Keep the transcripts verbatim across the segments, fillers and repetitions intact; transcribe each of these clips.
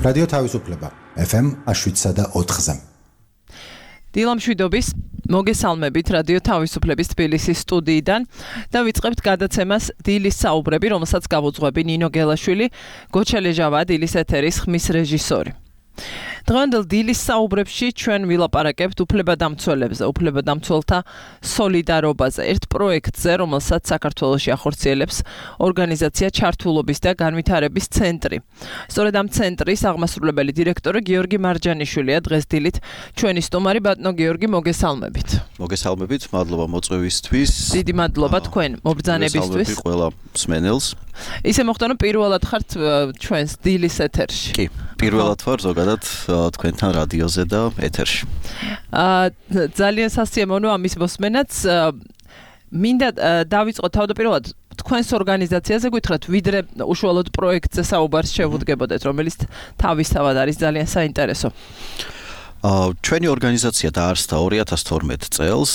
რადიო თავისუფლება ეფ ემ შვიდსა და ოთხზე. დილამშვიდობის მოგესალმებით რადიო თავისუფლების თბილისის სტუდიიდან და ვიწყებთ გადაცემას დილის საუბრები, რომელსაც გავუძღვები ნინო გელაშვილი, გოჩელეჟავა დილის ეთერის ხმის რეჟისორი. დღევანდელ დილის საუბრებში ჩვენ ვილაპარაკებთ უფლებადამცველებზე, უფლებადამცველთა სოლიდარობაზე, ერთ პროექტზე, რომელსაც საქართველოში ახორციელებს ორგანიზაცია ჩართულობის და განვითარების ცენტრი. სწორედ ამ ცენტრის აღმასრულებელი დირექტორი გიორგი მარჯანიშვილია დღეს დილით ჩვენი სტუმარი. ბატონო გიორგი, მოგესალმებით. მოგესალმებით, მადლობა მოწვევისთვის. დიდი მადლობა თქვენ მობრძანებისთვის. მოგესალმებით ყველა მსმენელს. ისე მოხდა, რომ პირველად ხართ ჩვენს დილის ეთერში. კი, პირველად ვარ ზოგადად თქვენთან რადიოზე და ეთერში. აა ძალიან სასიამოვნო ამის მოსმენაც. მინდა დავიწყოთ თავდაპირველად თქვენს ორგანიზაციაზე გითხრათ, ვიდრე უშუალოდ პროექტზე საუბარს შევუდგებოდეთ, რომელიც თავისთავად არის ძალიან საინტერესო. ჩვენი ორგანიზაცია დაარსდა ორი ათას თორმეტ წელს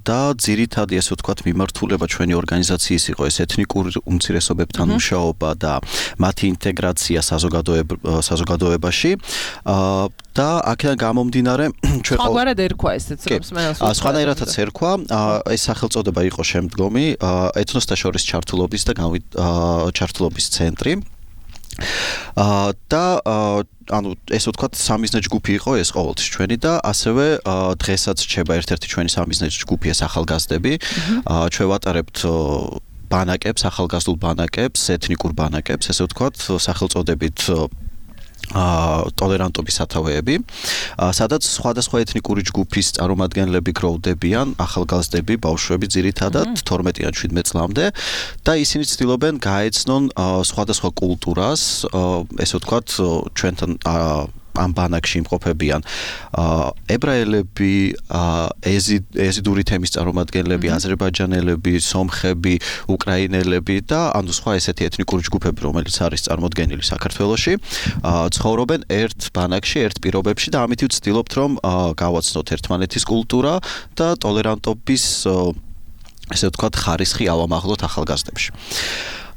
და ძირითადი ესე ვთქვათ მიმართულება ჩვენი ორგანიზაციის იყო ეს ეთნიკურ უმცირესობებთან მუშაობა და მათი ინტეგრაცია საზოგადოებაში და აქედან გამომდინარე ჩვენ სხვაგვარად ერქვა ესეც რომ მსმენელს სხვანაირადაც ერქვა ეს სახელწოდება იყო შემდგომი ეთნოსთა შორის ჩართულობის და ჩართულობის ცენტრი და ანუ ესე ვთქვათ სამიზნე ჯგუფი იყო ეს ყოველთვის ჩვენი და ასევე დღესაც რჩება ერთ-ერთი ჩვენი სამიზნე ჯგუფი ეს ახალგაზრდები. ჩვენ ვატარებთ ბანაკებს, ახალგაზრდულ ბანაკებს, ეთნიკურ ბანაკებს, ესე ვთქვათ, სახელწოდებით ტოლერანტობის სათავეები, სადაც სხვადასხვა ეთნიკური ჯგუფის წარმომადგენლები გროვდებიან, ახალგაზრდები, ბავშვები ძირითადად თორმეტიდან შვიდმეტ წლამდე და ისინი ცდილობენ გაეცნონ სხვადასხვა კულტურას, ესე ვთქვათ, ჩვენთან ამ ბანაკში იმყოფებიან ებრაელები, ეზიდური თემის წარმომადგენლები, აზერბაიჯანელები, სომხები, უკრაინელები და ანუ სხვა ესეთი ეთნიკური ჯგუფები, რომელიც არის წარმოდგენილი საქართველოში, ცხოვრობენ ერთ ბანაკში, ერთ პირობებში და ამით ვცდილობთ, რომ გავაცნოთ ერთმანეთის კულტურა და ტოლერანტობის ესე ვთქვათ ხარისხი ავამაღლოთ ახალგაზრდებში.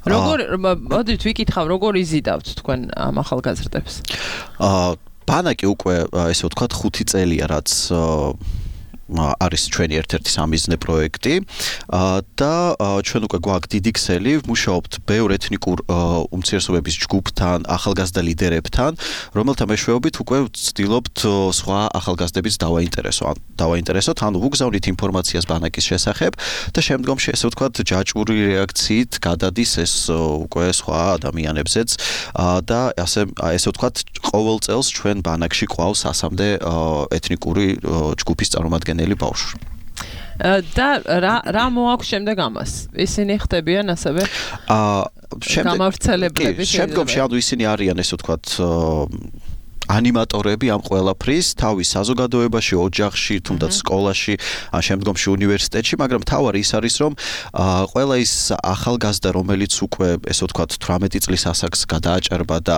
როგორ მოდით ვიკითხავ, როგორ იზიდავთ თქვენ ამ ახალგაზრდებს? ბანაკი უკვე ესე ვთქვათ ხუთი წელია, რაც არის ჩვენი ერთ-ერთი სამიზნე პროექტი და ჩვენ უკვე გვაქვს დიდი ქსელი, ვმუშაობთ ბევრ ეთნიკურ უმცირესობების ჯგუფთან, ახალგაზრდა ლიდერებთან, რომელთა მეშვეობით უკვე ვცდილობთ სხვა ახალგაზრდების დავაინტერესოთ, დავაინტერესოთ, ანუ ვუგზავნით ინფორმაციას ბანაკის შესახებ და შემდგომში ესე ვთქვათ ჯაჭვური რეაქციით გადადის ეს უკვე სხვა ადამიანებზეც და ასე ესე ვთქვათ ყოველ წელს ჩვენ ბანაკში ყავს ასამდე ეთნიკური ჯგუფის წარმომადგენლები ბავშვი. და რა რა მოაქვს შემდეგ ამას? ისინი ხდებიან ასევე გამავრცელებლები. შემდგომში ანუ ისინი არიან ესე ვთქვათ ანიმატორები ამ ყველაფრის თავის საზოგადოებაში, ოჯახში, თუნდაც სკოლაში, ან შემდგომში უნივერსიტეტში, მაგრამ თავარი ის არის, რომ ყველა ის ახალგაზრდა, რომელიც უკვე ესე ვთქვათ თვრამეტი წლის ასაკს გადააჭარბა და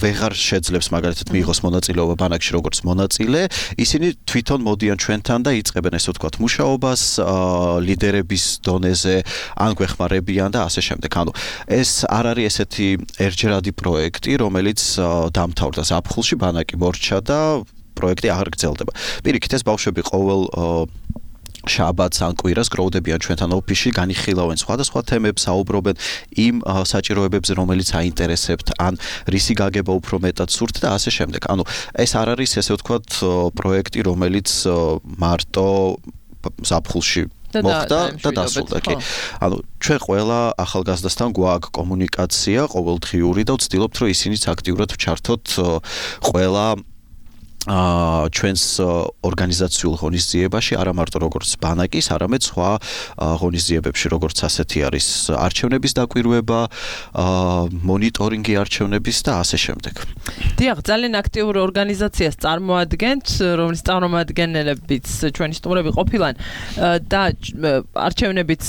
ვეღარ შეძლებს მაგალითად მიიღოს მონაწილეობა ბანაკში როგორც მონაწილე, ისინი თვითონ მოდიან ჩვენთან და იწყებენ ესე ვთქვათ მუშაობას ლიდერების დონეზე, ან გვეხმარებიან და ასე შემდეგ. ანუ ეს არ არის ესეთი ერთჯერადი პროექტი, რომელიც დამთავრდა ზაფხულში ბანაკი მორჩა და პროექტი აღარ გრძელდება. პირიქით ეს ბავშვები ყოველ შაბათს ან კვირას გროვდებიან ჩვენთან ოფისში, განიხილავენ სხვადასხვა თემებს, საუბრობენ იმ საჭიროებებზე, რომელიც აინტერესებთ, ან რისი გაგება უფრო მეტად სურთ და ასე შემდეგ. ანუ ეს არ არის ესე ვთქვათ პროექტი, რომელიც მარტო ზაფხულში მოხდა და დასრულდა. კი. ანუ ჩვენ ყველა ახალგაზრდასთან გვაქვს კომუნიკაცია ყოველდღიური და ვცდილობთ, რომ ისინიც აქტიურად ვჩართოთ ყველა ჩვენს ორგანიზაციულ ღონისძიებაში, არა მარტო როგორც ბანაკის, არამედ სხვა ღონისძიებებში, როგორც ასეთი არის არჩევნების დაკვირვება, მონიტორინგი არჩევნების და ასე შემდეგ. დიახ, ძალიან აქტიური ორგანიზაციას წარმოადგენთ, რომლის წარმომადგენლებიც ჩვენი სტუმრები ყოფილან და არჩევნებიც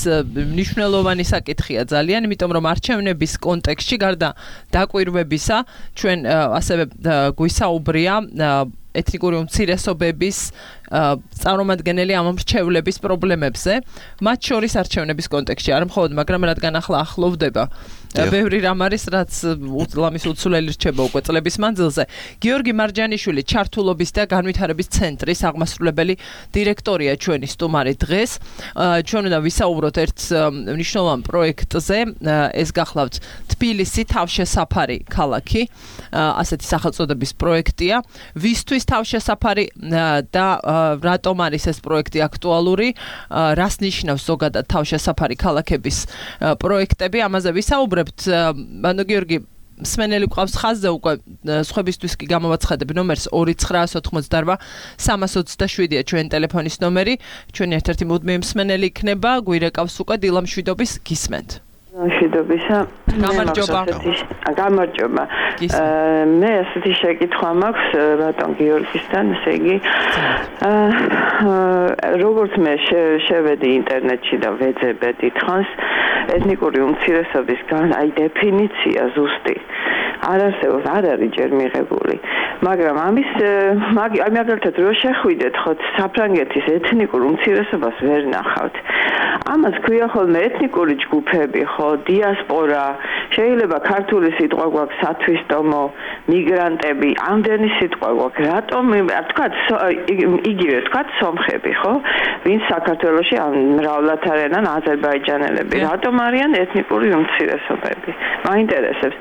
მნიშვნელოვანი საკითხია ძალიან, იმიტომ რომ არჩევნების კონტექსტში გარდა დაკვირვებისა, ჩვენ ასევე გვისაუბრია ეთნიკური უმცირესობების წარმომადგენელი ამ მრჩევლების პრობლემებზე, მათ შორის არჩევნების კონტექსტში, არ მხოლოდ, მაგრამ რადგან ახლა ახლოვდება ბევრი რამ არის, რაც ლამის უცვლელი რჩება უკვე წლების მანძილზე. გიორგი მარჯანიშვილი ჩართულობის და განვითარების ცენტრის აღმასრულებელი დირექტორია ჩვენი სტუმარი დღეს. ჩვენ უნდა ვისაუბროთ ერთ მნიშვნელოვან პროექტზე, ეს გახლავთ თბილისი თავშესაფარი ქალაქი, ასეთი სახელწოდების პროექტია. ვისთვის თავშესაფარი და რატომ არის ეს პროექტი აქტუალური, რას ნიშნავს ზოგადად თავშესაფარი ქალაქების პროექტები, ამაზე ვისაუბრებთ. ანუ გიორგი მსმენელი გვყავს ხაზზე უკვე სხვებისთვის კი გამოვაცხადებ ნომერს ორი ცხრაას ოთხმოცდარბა სამას ოცდაშვიდია ჩვენი ტელეფონის ნომერი. ჩვენი ერთ-ერთი მუდმივი მსმენელი იქნება, გვირეკავს უკვე დილამ შვიდობის გისმენთ. შვიდობისა. გამარჯობა. გამარჯობა. მე ასეთი შეკითხვა მაქვს ბატონ გიორგისთან, ესე იგი როგორც მე შევედი ინტერნეტში და ვეძებე დიდხანს ეთნიკური უმცირესობის აი დეფინიცია ზუსტი არ არსებობს, არ არის ჯერ მიღებული. მაგრამ ამის მაგალითად რო შეხვიდეთ ხო საფრანგეთის ეთნიკურ უმცირესობას ვერ ნახავთ. ამას ქვია ხოლმე ეთნიკური ჯგუფები, ხო, დიასპორა, შეიძლება ქართული სიტყვა გვაქვს სათვისტომო, მიგრანტები, ამდენი სიტყვა გვაქვს. რატომ თქვა იგივე თქვა სომხები, ხო? ვინც საქართველოში მრავლად არიან აზერბაიჯანელები. რატომ არიან ეთნიკური უმცირესობები? მაინტერესებს.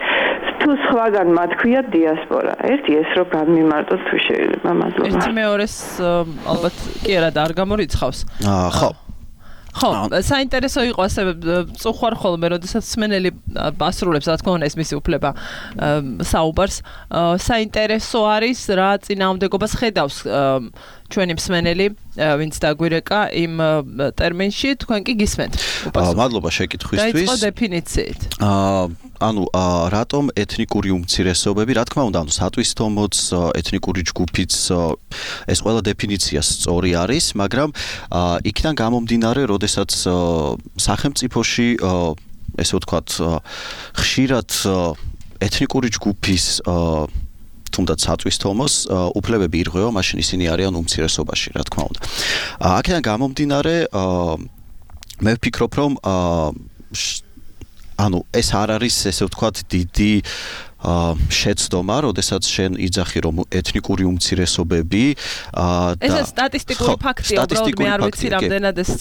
თუ სხვაგან მათ ქვია დიასპორა. ერთი ეს რო განმიმარტოთ თუ შეიძლება, მადლობა. ერთი მეორეს ალბათ კი არა და არ გამორიცხავს. აა ხო. ხო, საინტერესო იყო ასე წუხვარ ხოლმე, როდესაც მსმენელი ასრულებს, რა თქმა უნდა, ეს მისი უფლება საუბარს. საინტერესო არის რა წინააღმდეგობას ხედავს ჩვენი მსმენელი, ვინც დაგვირეკა იმ ტერმინში, თქვენ კი გისმენთ. მადლობა შეკითხვისთვის. დაიწყო დეფინიციით. აა ანუ რატომ ეთნიკური უმცირესობები, რა თქმა უნდა, ანუ სათვისტომოც, ეთნიკური ჯგუფიც ეს ყველა დეფინიცია სწორი არის, მაგრამ იქიდან გამომდინარე, როდესაც სახელმწიფოში ესე ვთქვათ, ხშირად ეთნიკური ჯგუფის თუნდაც სათვისტომოს უფლებები ირღვევა, მაშინ ისინი არიან უმცირესობაში, რა თქმა უნდა. აქედან გამომდინარე, მე ვფიქრობ, რომ ანუ ეს არ არის ესე ვთქვათ დიდი შეცდომა, როდესაც შენ იძახი რომ ეთნიკური უმცირესობები და ეს სტატისტიკური ფაქტია, უბრალოდ მე არ ვიცი რამდენად ეს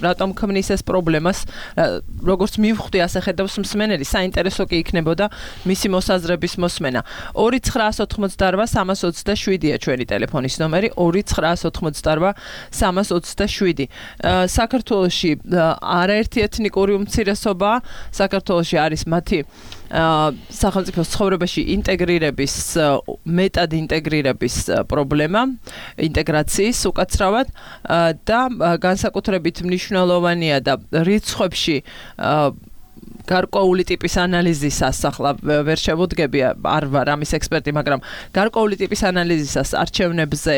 რატომ ქმნის ეს პრობლემას, როგორც მივხვდი ასე ხედავს მსმენელი, საინტერესო კი იქნებოდა მისი მოსაზრების მოსმენა. ორი ცხრაას ოთხმოცდაარბა სამას ოცდაშვიდია ჩვენი ტელეფონის ნომერი, ორი ცხრაას ოთხმოცდაარბა სამას ოცდაშვიდი. საქართველოში არაერთი ეთნიკური უმცირესობა, საქართველოში არის მათი სახელმწიფოს ცხოვრებაში ინტეგრირების, მეტად ინტეგრირების პრობლემა, ინტეგრაციის უკაცრავად და განსაკუთრებით მნიშვნელოვანია და რიცხვებში გარკვეული ტიპის ანალიზისას, ახლა ვერ შევუდგები, არ ვარ ამის ექსპერტი, მაგრამ გარკვეული ტიპის ანალიზისას არჩევნებზე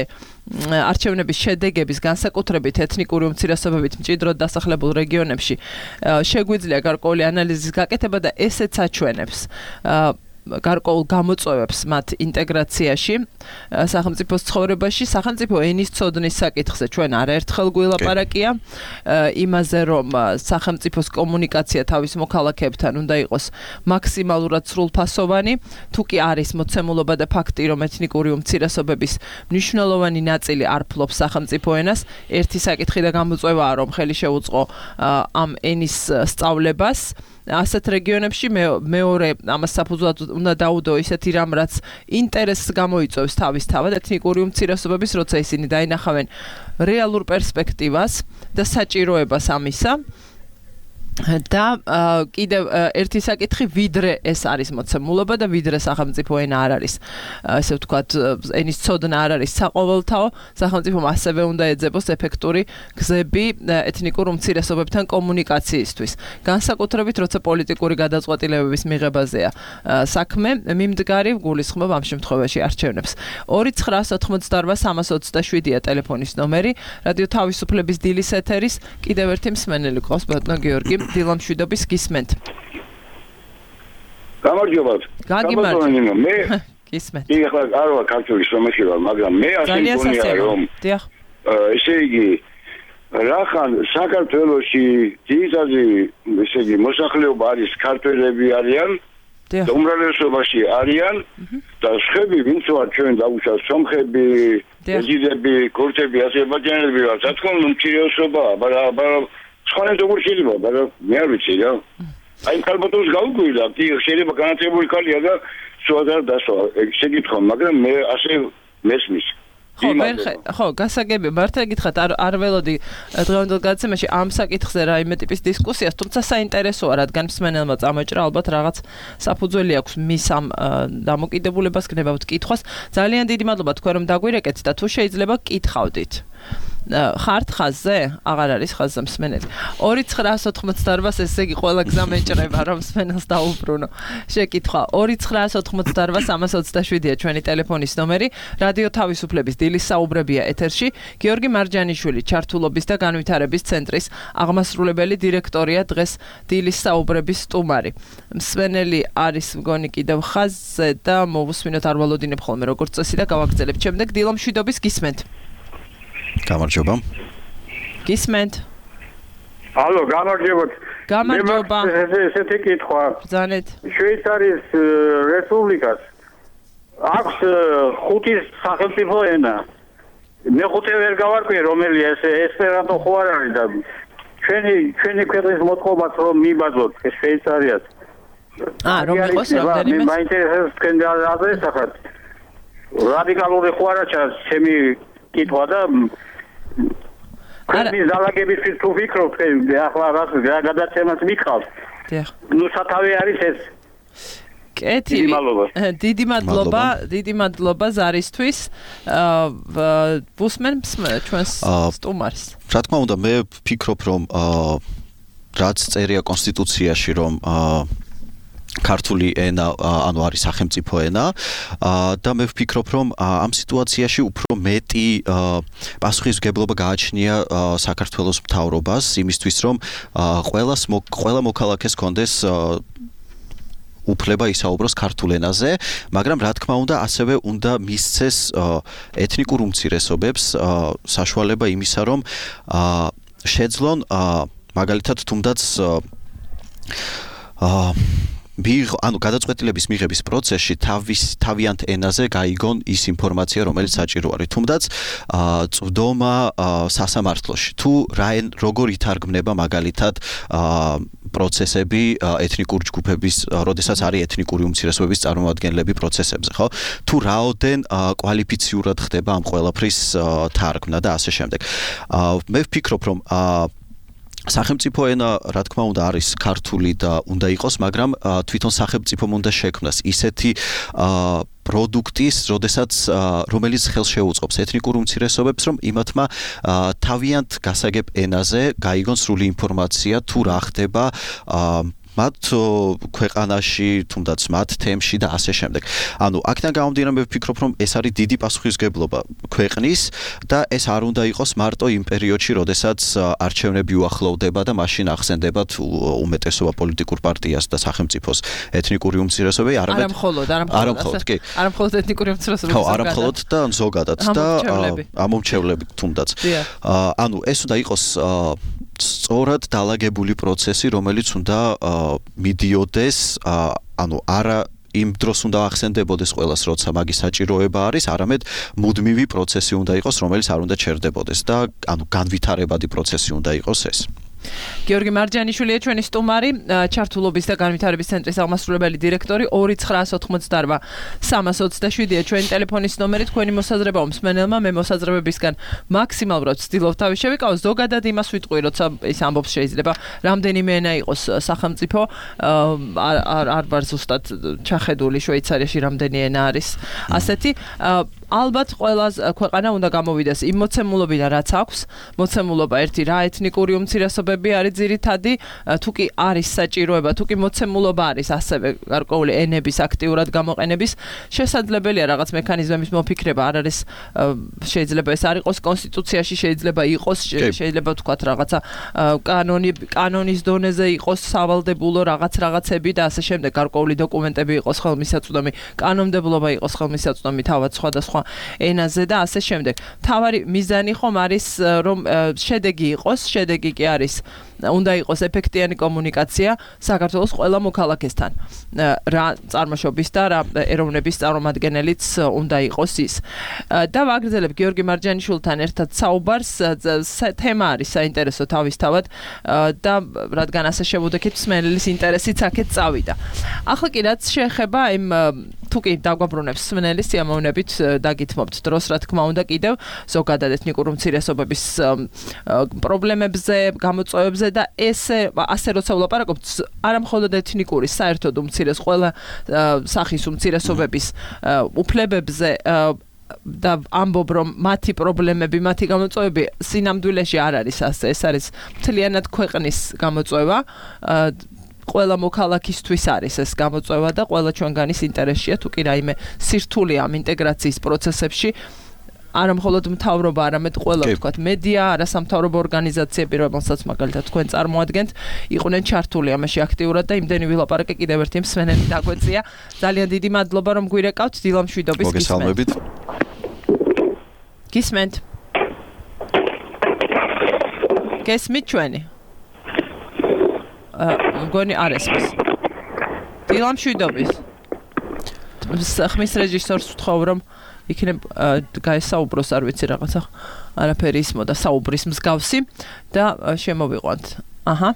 არჩევნების შედეგების განსაკუთრებით ეთნიკური უმცირესობებით მჭიდროდ დასახლებულ რეგიონებში შეგვიძლია გარკვეული ანალიზის გაკეთება და ესეც აჩვენებს გარკვეულ გამოწვევებს მათ ინტეგრაციაში სახელმწიფოს ცხოვრებაში, სახელმწიფო ენის ცოდნის საკითხზე ჩვენ არაერთხელ გვილაპარაკია იმაზე, რომ სახელმწიფოს კომუნიკაცია თავის მოქალაქეებთან უნდა იყოს მაქსიმალურად სრულფასოვანი, თუ კი არის მოცემულობა და ფაქტი, რომ ეთნიკური უმცირესობების მნიშვნელოვანი ნაწილი არ ფლობს სახელმწიფო ენას, ერთი საკითხი და გამოწვევაა, რომ ხელი შეუწყო ამ ენის სწავლებას. ასეთ რეგიონებში მეორე ამას საფუძვლად უნდა დაუდო ისეთი რამ, რაც ინტერესს გამოიწვევს თავისთავად ეთნიკური უმცირესობების, როცა ისინი დაინახავენ რეალურ პერსპექტივას და საჭიროებას ამისა. და კიდევ ერთი საკითხი, ვიდრე ეს არის მოცემულობა და ვიდრე სახელმწიფო ენა არ არის, ესე ვთქვათ, ენის ცოდნა არ არის საყოველთაო, სახელმწიფომ ასევე უნდა ეძებოს ეფექტური გზები ეთნიკურ უმცირესობებთან კომუნიკაციისთვის. განსაკუთრებით, როცა პოლიტიკური გადაწყვეტილებების მიღებაზეა საქმე, მიმდგარი გულისხმობ ამ შემთხვევაში არჩევნებს. ორი ცხრაას ოთხმოცდაარბა სამას ოცდაშვიდია ტელეფონის ნომერი, რადიო თავისუფლების დილის ეთერის კიდევ ერთი მსმენელი ყავს, ბატონო გიორგი. დილამ შვიდობის გისმენთ. გამარჯობა. გაგიმარჯობა. მე ისმენთ. კი, ახლა არ ვარ ქართული სომეხი ვარ, მაგრამ მე ასე მგონია რომ დიახ. ესე იგი რახან საქართველოში ძირითადი ესე იგი მოსახლეობა არის ქართველები არიან და უმრავლესობაში არიან და სხვები ვინც ვარ ჩვენ დაუშვათ სომხები, ეჯიდები, ქურთები, აზერბაიჯანელები ვარ, რა თქმა უნდა უმცირესობაა, მაგრამ სხვანაირად როგორ შეიძლება, მაგრამ მე არ ვიცი რა. აი ქალბატონს გავუკვირდა, კი შეიძლება განათლებული ქალია და სულ არ დასვა, შეგითხო, მაგრამ მე ასე მესმის. ხო, ხო, გასაგები, მართლა გითხრათ, არ არ ველოდი დღევანდელ გადაცემაში ამ საკითხზე რაიმე ტიპის დისკუსიას, თუმცა საინტერესოა, რადგან მსმენელმა წამოჭრა ალბათ რაღაც საფუძველი აქვს მის ამ დამოკიდებულებას გნებავთ კითხვას. ძალიან დიდი მადლობა თქვენ რომ დაგვირეკეთ და თუ შეიძლება კითხავდით. ხართ ხაზზე? აღარ არის ხაზზე მსმენელი. ორი ცხრაას ოთხმოცდაოთხ ესე იგი ყველა გზა მეჭრება რომ მსმენელს დაუბრუნო. შეკითხვა ორი ცხრაას ოთხმოცდაოთხ სამას ოცდაშვიდია ჩვენი ტელეფონის ნომერი. რადიო თავისუფლების დილის საუბრებია ეთერში. გიორგი მარჯანიშვილი ჩართულობის და განვითარების ცენტრის აღმასრულებელი დირექტორია დღეს დილის საუბრების სტუმარი. მსმენელი არის მგონი კიდევ ხაზზე და მოვუსმინოთ არ ვალოდინებ ხოლმე როგორც წესი და გავაგრძელებთ. შემდეგ დილო მშვიდობის გისმენთ. გამარჯობა. გისმენთ. ალო, გამარჯობათ. გამარჯობა. ესეთი კითხვა. ბრძანეთ. შვეიცარიის რესპუბლიკას აქვს ხუთი სახელმწიფო ენა. მეხუთე ვერ გავარკვიე რომელია ეს ესპერანტო ხო არ არის და ჩვენი ჩვენი ქვეყნის მოთხოვაც რომ მიბაძოთ შვეიცარიას. აა, რომ იყოს რამდენიმე? მე მაინტერესებს თქვენ აზრისახად. რადიკალური ხო არა ჩემი კითხვა და ქვეყნის დალაგებისთვის თუ ვფიქრობთ, ახლა რა გადაცემას მიყავს. დიახ. ნუ სათავე არის ეს. კეთილი. დიდი მადლობა, დიდი მადლობა ზარისთვის. აა ბუსმენს ჩვენს სტუმარს. რა თქმა უნდა, მე ვფიქრობ, რომ რაც წერია კონსტიტუციაში, რომ ქართული ენა ანუ არის სახელმწიფო ენა და მე ვფიქრობ რომ ამ სიტუაციაში უფრო მეტი პასუხისმგებლობა გააჩნია საქართველოს მთავრობას იმისთვის რომ ყველას ყველა მოქალაქეს კონდეს უფლება ისაუბროს ქართულ ენაზე, მაგრამ რა თქმა უნდა ასევე უნდა მისცეს ეთნიკურ უმცირესობებს საშუალება იმისა რომ შეძლონ მაგალითად თუნდაც მიიღო, ანუ გადაწყვეტილების მიღების პროცესში თავის თავიანთ ენაზე გაიგონ ის ინფორმაცია, რომელიც საჭირო არის. თუმდაც წვდომა სასამართლოში თუ რა როგორ ითარგმნება მაგალითად პროცესები ეთნიკურ ჯგუფების, როდესაც არის ეთნიკური უმცირესობების წარმომადგენლები პროცესებზე, ხო? თუ რაოდენ კვალიფიციურად ხდება ამ ყველაფრის თარგმნა და ასე შემდეგ. მე ვფიქრობ, რომ სახელმწიფო ენა, რა თქმა უნდა, არის ქართული და უნდა იყოს, მაგრამ თვითონ სახელმწიფომ უნდა შექმნას ისეთი პროდუქტის, როდესაც რომელიც ხელს შეუწყობს ეთნიკურ უმცირესობებს, რომ იმათმა თავიანთ გასაგებ ენაზე გაიგონ სრული ინფორმაცია თუ რა ხდება მათ ქვეყანაში, თუნდაც მათ თემში და ასე შემდეგ. ანუ აქედან გამომდინარე მე ვფიქრობ, რომ ეს არის დიდი პასუხისმგებლობა ქვეყნის და ეს არ უნდა იყოს მარტო იმ პერიოდში, როდესაც არჩევნები უახლოვდება და მაშინ ახსენდებათ უმეტესობა პოლიტიკურ პარტიას და სახელმწიფოს ეთნიკური უმცირესობები, არამედ არამხოლოდ, არამხოლოდ, კი. არამხოლოდ ეთნიკური უმცირესობები. ხო, არამხოლოდ და ზოგადად და ამომრჩევლები თუნდაც. ანუ ეს უნდა იყოს სწორად დალაგებული პროცესი, რომელიც უნდა მიდიოდეს, ანუ არა იმ დროს უნდა ახსენდებოდეს ყველას, როცა მაგის საჭიროება არის, არამედ მუდმივი პროცესი უნდა იყოს, რომელიც არ უნდა ჩერდებოდეს და ანუ განვითარებადი პროცესი უნდა იყოს ეს. გიორგი მარჯანიშვილია ჩვენი სტუმარი, ჩართულობის და განვითარების ცენტრის აღმასრულებელი დირექტორი. ორი ცხრაას ოთხმოცდაოთხ სამას ოცდაშვიდია ჩვენი ტელეფონის ნომერი. თქვენი მოსაზრება მსმენელმა, მე მოსაზრებებისგან მაქსიმალურად ვცდილობ თავი შევიკავო. ზოგადად იმას ვიტყვი, როცა ის ამბობს შეიძლება რამდენიმე ენა იყოს სახელმწიფო, არ არ ვარ ზუსტად ჩახედული შვეიცარიაში რამდენი ენა არის. ასეთი ალბათ ყველა ქვეყანა უნდა გამოვიდეს იმ მოცემულობიდან, რაც აქვს. მოცემულობა ერთი რა ეთნიკური უმცირესობები არის ძირითადი, თუ კი არის საჭიროება, თუ კი მოცემულობა არის ასევე გარკვეული ენების აქტიურად გამოყენების, შესაძლებელია რაღაც მექანიზმების მოფიქრება, არ არის შეიძლება ეს არ იყოს კონსტიტუციაში, შეიძლება იყოს, შეიძლება ვთქვათ რაღაცა კანონი კანონის დონეზე იყოს სავალდებულო რაღაც რაღაცები და ასე შემდეგ გარკვეული დოკუმენტები იყოს ხელმისაწვდომი, კანონმდებლობა იყოს ხელმისაწვდომი თავად სხვადასხვა ენაზე და ასე შემდეგ. თავარი მიზანი ხომ არის რომ შედეგი იყოს, შედეგი კი არის უნდა იყოს ეფექტიანი კომუნიკაცია საქართველოს ყველა მოქალაქესთან. რა წარმოშობის და რა ეროვნების წარმომადგენელიც უნდა იყოს ის. და ვაგრძელებ გიორგი მარჯანიშვილთან ერთად საუბარს, თემა არის საინტერესო თავისთავად და რადგან ასე შევუდექით მსმენელის ინტერესიც აქეთ წავიდა. ახლა კი რაც შეეხება იმ თუ კი დაგვაბრუნებს მსმენელის სიამოვნებით დაგითმობთ დროს, რა თქმა უნდა, კიდევ ზოგადად ეთნიკური უმცირესობების პრობლემებზე, გამოწვევებზე და ესე ასე როცა ვლაპარაკობთ, არა მხოლოდ ეთნიკური, საერთოდ უმცირეს ყველა სახის უმცირესობების უფლებებზე და ამბობ რომ მათი პრობლემები, მათი გამოწვევები სინამდვილეში არ არის ასე, ეს არის მთლიანად ქვეყნის გამოწვევა. ყველა მოქალაქისთვის არის ეს გამოწვევა და ყველა ჩვენგანის ინტერესშია თუ კი რაიმე სირთულე ამ ინტეგრაციის პროცესებში არა მხოლოდ მთავრობა, არამედ ყველა ვთქვათ მედია, არასამთავრობო ორგანიზაციები, რომელსაც მაგალითად თქვენ წარმოადგენთ, იყვნენ ჩართული ამაში აქტიურად და იმდენი ვილაპარაკე კიდევ ერთი მსმენელი დაგვეწია. ძალიან დიდი მადლობა რომ გვირეკავთ დილამშვიდობის გისმენთ. გისმენთ. გესმით ჩვენი? მგონი არ ესმის. დილამშვიდობის. ხმის რეჟისორს ვთხოვ რომ იქნებ გაესაუბროს, არ ვიცი რაღაცა არაფერი ისმოდა საუბრის მსგავსი და შემოვიყვანთ. აჰა.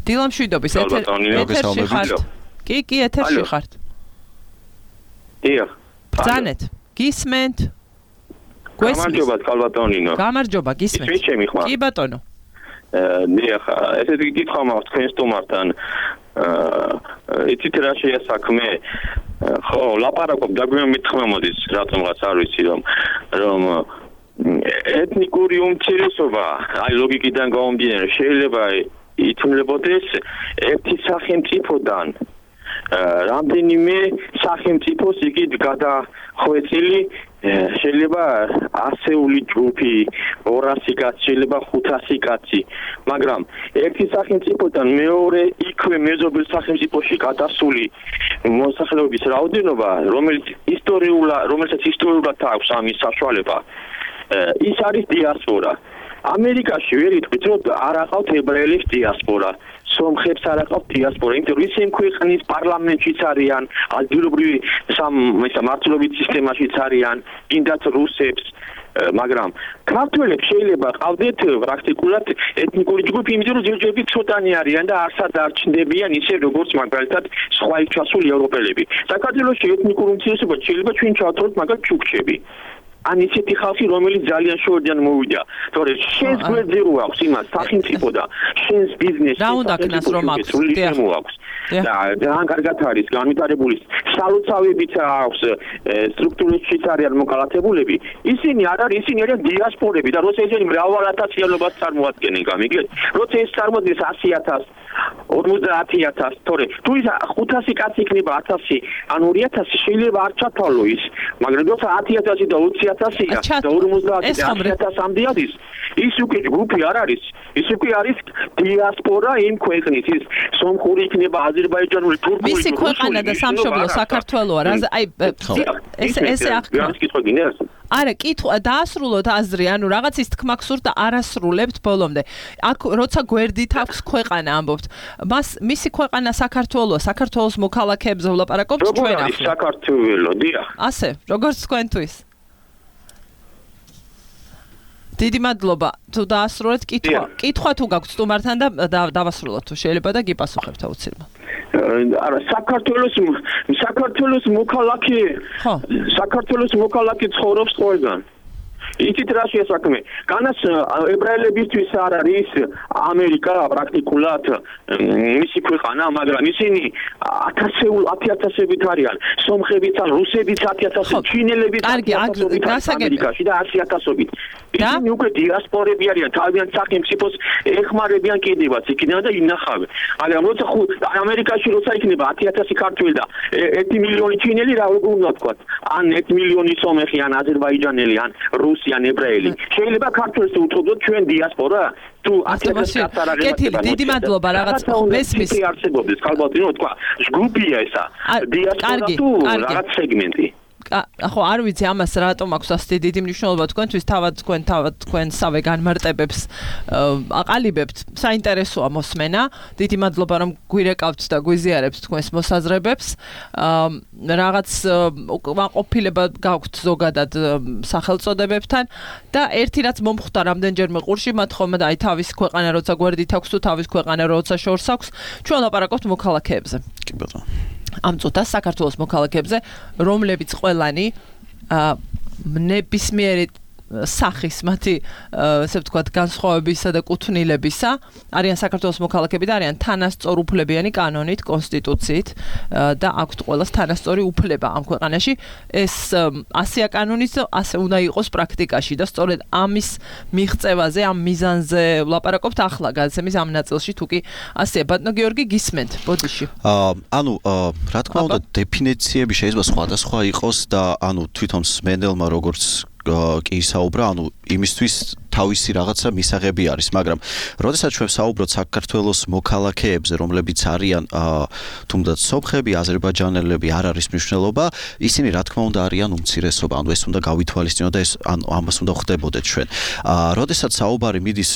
დილამშვიდობის ეთერში ხართ. კი, კი, ეთერში ხართ. დიახ. ბრძანეთ. გისმენთ? გამარჯობა, კალბატონინო. გამარჯობა, გისმენთ. კი ბატონო. დიახ, ესეთი კითხვა მაქვს თქვენ სტუმართან. იცით რა შეა საქმე? ხო, ლაპარაკობ და გვიან მithმა მოდის, რატომღაც არ ვიცი რომ რომ ეთნიკური უმცირესობა, აი ლოგიკიდან გამომდინარე, შეიძლება ითვლებოდეს ერთი სახელმწიფოდან რამდენიმე სახელმწიფოს იქით გადახვეწილი შეიძლება ასეული ჯგუფი, ორასი კაცი, შეიძლება ხუთასი კაცი, მაგრამ ერთი სახელმწიფოდან მეორე იქვე მეზობელ სახელმწიფოში გადასული მოსახლეობის რაოდენობა, რომელიც ისტორიულად, რომელსაც ისტორიულად აქვს ამის საშუალება, ის არის დიასპორა. ამერიკაში ვერ იტყვით, რომ არ აყავთ ებრაელებს დიასპორა. სომხებს არ აყავთ დიასპორა, იმიტომ რომ ისინი ქვეყნის პარლამენტშიც არიან, ადგილობრივი სამართლობის სისტემაშიც არიან, კიდაც რუსებს, მაგრამ ქართველებს შეიძლება ყავდეთ პრაქტიკულად ეთნიკური ჯგუფი, იმიტომ რომ ჯერჯერობით ცოტანი არიან და არსად არ ჩნდებიან ისე როგორც მაგალითად სხვა ჩასული ევროპელები. საქართველოში ეთნიკურ უმცირესობა შეიძლება ჩვენ ჩავთვალოთ მაგალითად ჩუქჩები. ან ისეთი ხალხი, რომელიც ძალიან შორიდან მოვიდა. თორე შენს გვერდზე რო აქვს იმას სახელმწიფო და შენს ბიზნესი რა უნდა ქნას რომ აქვს? და ძალიან კარგად არის განვითარებული სალოცავებიც აქვს, სტრუქტურებშიც არიან მოკალათებულები. ისინი არ არის, ისინი არიან დიასპორები და როცა ისინი მრავალათასიანობას წარმოადგენენ, გამიგეთ? როცა ეს წარმოადგენს ასი ათასს, ორმოცდაათი ათასს, თორე თუ ის ხუთასი კაცი იქნება ათასი, ან ორი ათასი შეიძლება არ ჩათვალო ის, მაგრამ როცა ათი ათასი და ოცი ათასია და ორმოცდაათი და ათი ათასამდე არის, ის უკვე ჯგუფი არ არის, ის უკვე არის დიასპორა იმ ქვეყნის, ის სომხური იქნება, აზერბაიჯანული, თურქული, მისი ქვეყანა და სამშობლო საქართველოა, რა აი ეს ესე ახლა არა, კითხვა დაასრულოთ აზრი, ანუ რაღაც ის თქმა გსურთ და არასრულებთ ბოლომდე. აქ როცა გვერდით აქვს ქვეყანა ამბობთ. მას მისი ქვეყანა საქართველოა, საქართველოს მოქალაქეებზე ვლაპარაკობთ ჩვენ ახლა. როგორ არის საქართველო, დიახ. ასე, როგორც თქვენთვის. დიდი მადლობა. თუ დაასრულეთ კითხვა. კითხვა თუ გაქვთ სტუმართან და დავასრულოთ თუ შეიძლება და გიპასუხებთ აუცილებლად. არა, საქართველოს საქართველოს მოქალაქე. ხო. საქართველოს მოქალაქე ცხოვრობს ყველგან. იცით რა შეა საქმე? განაც ებრაელებისთვის არ არის ამერიკა პრაქტიკულად მისი ქვეყანა, მაგრამ ისინი ათასეულ ათიათასებით არიან. სომხებიც ან რუსებიც ათიათასობით, ჩინელებიც ათიათასობით ამერიკაში და ათიათასობით. ისინი უკვე დიასპორები არიან, თავიანთ სახელმწიფოს ეხმარებიან კიდევაც იქიდან და ინახავენ. მაგრამ როცა ამერიკაში როცა იქნება ათიათასი ქართველი და ერთი მილიონი ჩინელი რა როგორ უნდა ვთქვა? ან ერთი მილიონი სომეხი ან აზერბაიჯანელი ან რუსი ან ებრაელი. შეიძლება ქართველს უთხრობდეთ ჩვენ დიასპორა? თუ ათიათასი კაცარაღება. კეთილი, დიდი მადლობა რაღაც მესმის. არსებობს ქალბატონო თქვა, ჯგუფია ესა. დიასპორა თუ რაღაც სეგმენტი. ხო, არ ვიცი ამას რატომ აქვს ასეთი დიდი მნიშვნელობა თქვენთვის, თავად თქვენ თავად თქვენ სავე განმარტებებს აყალიბებთ. საინტერესოა მოსმენა. დიდი მადლობა რომ გვირეკავთ და გვიზიარებთ თქვენს მოსაზრებებს. რაღაც ყოფილება გაქვთ ზოგადად სახელწოდებებთან და ერთი რაც მომხვდა რამდენჯერმე ყურში, მათ ხომ და აი თავის ქვეყანა როცა გვერდით აქვს თუ თავის ქვეყანა როცა შორს აქვს, ჩვენ ლაპარაკობთ მოქალაქეებზე. კი ბატონო. ამ წუთას საქართველოს მოქალაქეებზე, რომლებიც ყველანი ნებისმიერი სახის მათი ასე ვთქვათ განსხვავებისა და კუთვნილებისა არიან საქართველოს მოქალაქეები და არიან თანასწორუფლებიანი კანონით, კონსტიტუციით და აქვთ ყველას თანასწორი უფლება ამ ქვეყანაში. ეს ასეა კანონიც, ასე უნდა იყოს პრაქტიკაში და სწორედ ამის მიღწევაზე, ამ მიზანზე ვლაპარაკობთ ახლა გადაცემის ამ ნაწილში, თუ კი ასეა. ბატონო გიორგი, გისმენთ, ბოდიში. ანუ რა თქმა უნდა, დეფინიციები შეიძლება სხვადასხვა იყოს და ანუ თვითონ სმენელმა როგორც კი საუბრა, ანუ იმისთვის თავისი რაღაცა მისაღები არის, მაგრამ როდესაც ჩვენ საუბრობთ საქართველოს მოქალაქეებზე, რომლებიც არიან თუნდაც სომხები, აზერბაიჯანელები, არ არის მნიშვნელობა, ისინი რა თქმა უნდა არიან უმცირესობა, ანუ ეს უნდა გავითვალისწინოთ და ეს ანუ ამას უნდა ხვდებოდეთ ჩვენ. როდესაც საუბარი მიდის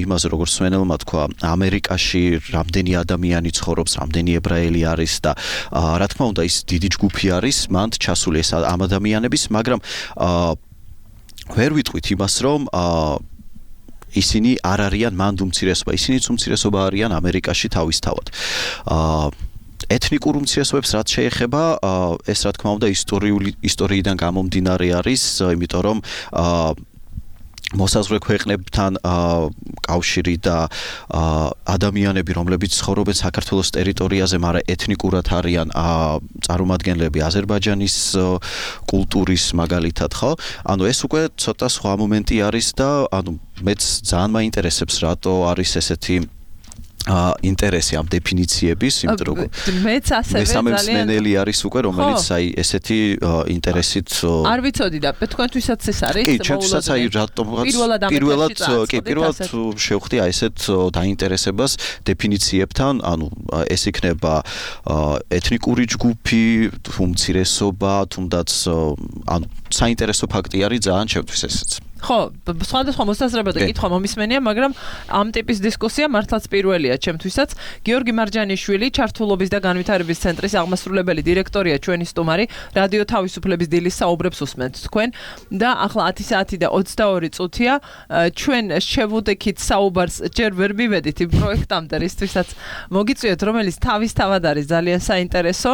იმაზე, როგორც სვენელმა თქვა, ამერიკაში რამდენი ადამიანი ცხოვრობს, რამდენი ებრაელი არის და რა თქმა უნდა ის დიდი ჯგუფი არის, მანდ ჩასული ეს ამ ადამიანების, მაგრამ ვერ ვიტყვით იმას, რომ ისინი არ არიან მანდ უმცირესობა, ისინიც უმცირესობა არიან ამერიკაში თავისთავად. ეთნიკურ უმცირესობებს რაც შეეხება, ეს რა თქმა უნდა ისტორიული ისტორიიდან გამომდინარე არის, იმიტომ რომ მოსაზღვრე ქვეყნებთან კავშირი და ადამიანები, რომლებიც ცხოვრობენ საქართველოს ტერიტორიაზე, მაგრამ ეთნიკურად არიან წარმომადგენლები აზერბაიჯანის კულტურის მაგალითად, ხო? ანუ ეს უკვე ცოტა სხვა მომენტი არის და ანუ მეც ძალიან მაინტერესებს, რატო არის ესეთი ინტერესი ამ დეფინიციების, იმიტომ რომ მეც ასევე ძალიან მესამე არის უკვე, რომელიც აი ესეთი ინტერესით არ ვიცოდი და თქვენთვისაც ეს არის კი, ჩვენთვისაც აი რატომ პირველად კი, პირველად შევხვდი აი ესეთ დაინტერესებას დეფინიციებთან, ანუ ეს იქნება ეთნიკური ჯგუფი, უმცირესობა, თუნდაც ანუ საინტერესო ფაქტი არის ძალიან ჩვენთვის ესეც. ხო, სხვადასხვა მოსაზრება და კითხვა მომისმენია, მაგრამ ამ ტიპის დისკუსია მართლაც პირველია ჩემთვისაც. გიორგი მარჯანიშვილი, ჩართულობის და განვითარების ცენტრის აღმასრულებელი დირექტორია ჩვენი სტუმარი, რადიო თავისუფლების დილის საუბრებს უსმენთ თქვენ და ახლა ათი საათი და ოცდაორი წუთია. ჩვენ შევუდექით საუბარს, ჯერ ვერ მივედით იმ პროექტამდე, რისთვისაც მოგიწვიეთ, რომელიც თავისთავად არის ძალიან საინტერესო.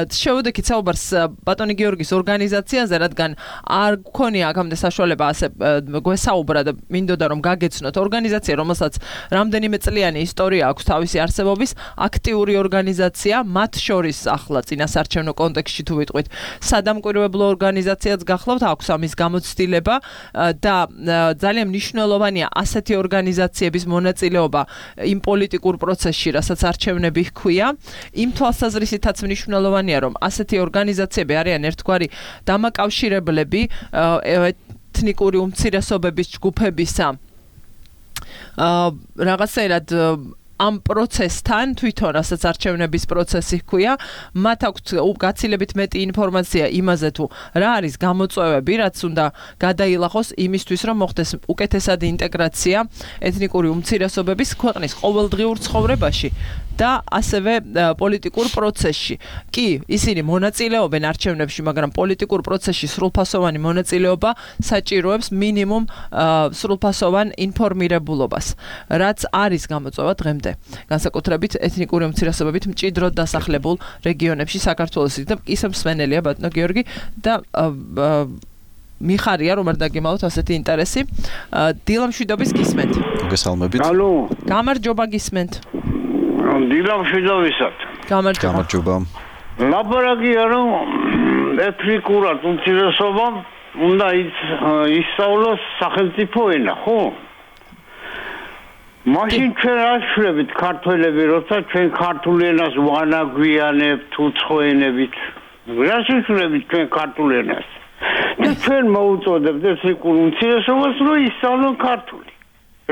შევუდექით საუბარს ბატონი გიორგის ორგანიზაციაზე, რადგან არ გქონია აქამდე საშუალება ასე გვესაუბრა და მინდოდა რომ გაგეცნოთ ორგანიზაცია, რომელსაც რამდენიმე წლიანი ისტორია აქვს თავისი არსებობის, აქტიური ორგანიზაცია, მათ შორის ახლა წინასარჩევნო კონტექსტში თუ ვიტყვით, სადამკვირვებლო ორგანიზაციაც გახლავთ, აქვს ამის გამოცდილება და ძალიან მნიშვნელოვანია ასეთი ორგანიზაციების მონაწილეობა იმ პოლიტიკურ პროცესში, რასაც არჩევნები ჰქვია. იმ თვალსაზრისითაც მნიშვნელოვანია, რომ ასეთი ორგანიზაციები არიან ერთგვარი დამაკავშირებლები ეთნიკური უმცირესობების ჯგუფებისა რაღაცაერად ამ პროცესთან, თვითონ რასაც არჩევნების პროცესი ჰქვია, მათ აქვთ გაცილებით მეტი ინფორმაცია იმაზე თუ რა არის გამოწვევები, რაც უნდა გადაილახოს იმისთვის, რომ მოხდეს უკეთესად ინტეგრაცია ეთნიკური უმცირესობების ქვეყნის ყოველდღიურ ცხოვრებაში და ასევე პოლიტიკურ პროცესში. კი, ისინი მონაწილეობენ არჩევნებში, მაგრამ პოლიტიკურ პროცესში სრულფასოვანი მონაწილეობა საჭიროებს მინიმუმ სრულფასოვან ინფორმირებულობას, რაც არის გამოწვევა დღემდე. განსაკუთრებით ეთნიკური უმცირესობებით მჭიდროდ დასახლებულ რეგიონებში საქართველოსი და ისე მსმენელია ბატონო გიორგი და მიხარია რომ არ დაგემალოთ ასეთი ინტერესი. დილამშვიდობის გისმენთ. მოგესალმებით. ალო. გამარჯობა გისმენთ. დილამშვიდობისად. გამარჯობა. გამარჯობა. ლაპარაკია რომ ეთნიკურად უმცირესობამ უნდა ისწავლოს სახელმწიფო ენა, ხო? მაშინ ჩვენ არ შევებით ქართველები, როცა ჩვენ ქართულ ენას ვანაგვიანებთ უცხოენებით. რა შევებით ჩვენ ქართულ ენას? და ჩვენ მოუწოდებთ ეთნიკურ უმცირესობას, რომ ისწავლონ ქართული.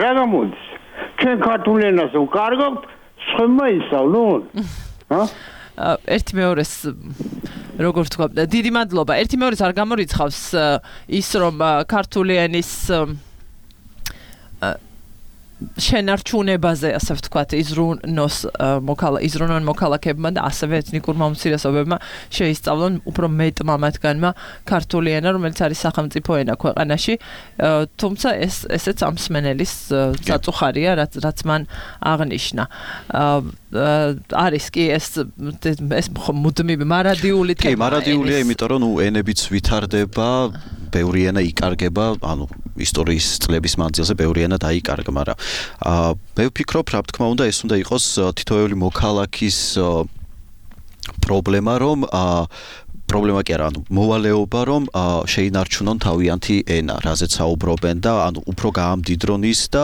რა გამოდის? ჩვენ ქართულ ენას ვკარგავთ, სხვამა ისწავლონ? ჰა? ერთი მეორეს როგორ თქვა, დიდი მადლობა. ერთი მეორეს არ გამორიცხავს ის რომ ქართული ენის შენარჩუნებაზე, ასე ვთქვათ, იზრუნოს მოკალა იზრუნონ მოქალაქეებმა და ასევე ეთნიკურმა უმცირესობებმა შეისწავლონ უფრო მეტმა მათგანმა ქართული ენა, რომელიც არის სახელმწიფო ენა ქვეყანაში. თუმცა ეს ესეც ამ მსმენელის წაწუხარია, რაც რაც მან აღნიშნა. არის კი ეს ეს მუდმივი მარადიული თემა. კი, მარადიულია, იმიტომ რომ ნუ ენებიც ვითარდება, ბევრი ენა იკარგება, ანუ ისტორიის წლების მანძილზე ბევრი ენა დაიკარგა, მაგრამ აა მე ვფიქრობ, რა თქმა უნდა, ეს უნდა იყოს თითოეული მოქალაქის პრობლემა, რომ აა პრობლემა კი არა, ანუ მოვალეობა, რომ შეინარჩუნონ თავიანთი ენა, რაზეც საუბრობენ და ანუ უფრო გაამდიდრონ ის და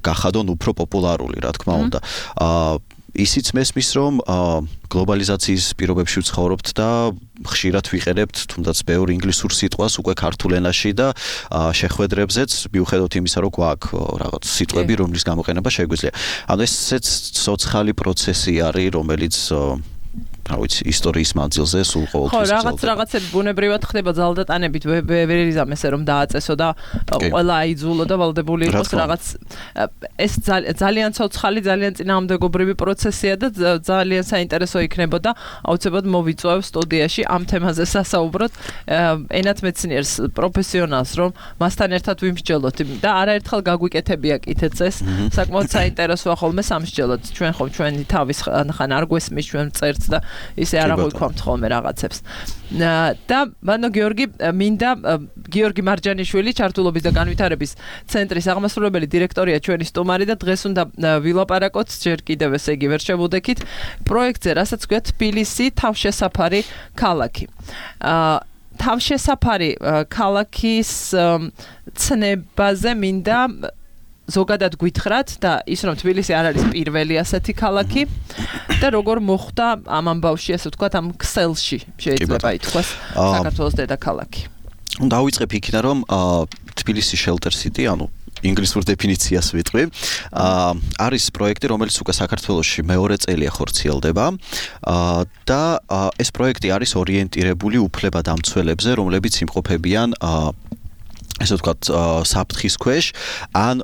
გახადონ უფრო პოპულარული, რა თქმა უნდა. აა ისიც მესმის, რომ გლობალიზაციის პირობებში ვცხოვრობთ და ხშირად ვიყენებთ თუნდაც ბევრ ინგლისურ სიტყვას უკვე ქართულ ენაში და შეხვედრებზეც მიუხედავად იმისა, რომ გვაქვს რაღაც სიტყვები, რომლის გამოყენება შეგვიძლია. ანუ ესეც ცოცხალი პროცესი არის, რომელიც რა ვიცი, ისტორიის მანძილზე სულ ყოველთვის ხო, რაღაც რაღაცები ბუნებრივად ხდება ძალდატანებით, ვერ იზამესე რომ დააწესო და ყველა აიძულო და ვალდებული იყოს რაღაც ეს ძალიან ცოცხალი, ძალიან წინააღმდეგობრივი პროცესია და ძალიან საინტერესო იქნებოდა აუცილებლად მოვიწვევ სტუდიაში ამ თემაზე სასაუბროთ ენათმეცნიერს, პროფესიონალს, რომ მასთან ერთად ვიმსჯელოთ და არაერთხელ გაგვიკეთებია კითეწეს, საკმაოდ საინტერესოა ხოლმე სამსჯელოთ. ჩვენ ხომ ჩვენი თავის ხან არ გვესმის, ჩვენ წერც და ისე არ აღვიქვამთ ხოლმე რაღაცებს. და მანო გიორგი მინდა გიორგი მარჯანიშვილი ჩართულობის და განვითარების ცენტრის აღმასრულებელი დირექტორია ჩვენი სტუმარი და დღეს უნდა ვილაპარაკოთ ჯერ კიდევ ესე იგი ვერ შევუდექით პროექტზე, რასაც ქვია თბილისი თავშესაფარი ქალაქი. თავშესაფარი ქალაქის ცნებაზე მინდა ზოგადად გვითხრათ და ის რომ თბილისი არ არის პირველი ასეთი ქალაქი და როგორ მოხვდა ამ ამბავში, ასე ვთქვათ, ამ ქსელში შეიძლება ითქვას საქართველოს დედაქალაქი. დავიწყებ იქიდან, რომ თბილისი Shelter City, ანუ ინგლისურ დეფინიციას ვიტყვი, არის პროექტი, რომელიც უკვე საქართველოში მეორე წელია ხორციელდება და ეს პროექტი არის ორიენტირებული უფლებადამცველებზე, რომლებიც იმყოფებიან ესე ვთქვათ, საფრთხის ქვეშ ან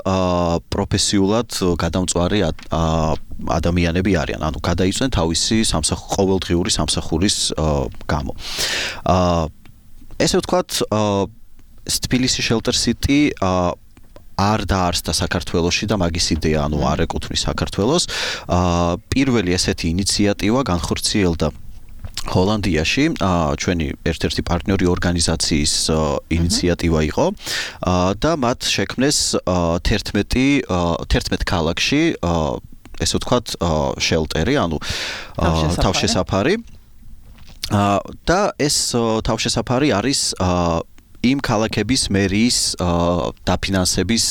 პროფესიულად გადამწვარი ადამიანები არიან, ანუ გადაიწვნენ თავისი ყოველდღიური სამსახურის გამო. ესე ვთქვათ, თბილისი Shelter City არ დაარსდა საქართველოში და მაგის იდეა, ანუ არ ეკუთვნის საქართველოს. პირველი ესეთი ინიციატივა განხორციელდა ჰოლანდიაში, ჩვენი ერთ-ერთი პარტნიორი ორგანიზაციის ინიციატივა იყო და მათ შექმნეს თერთმეტ ქალაქში, ესე ვთქვათ, შელტერი, ანუ თავშესაფარი. და ეს თავშესაფარი არის იმ ქალაქების მერიის დაფინანსების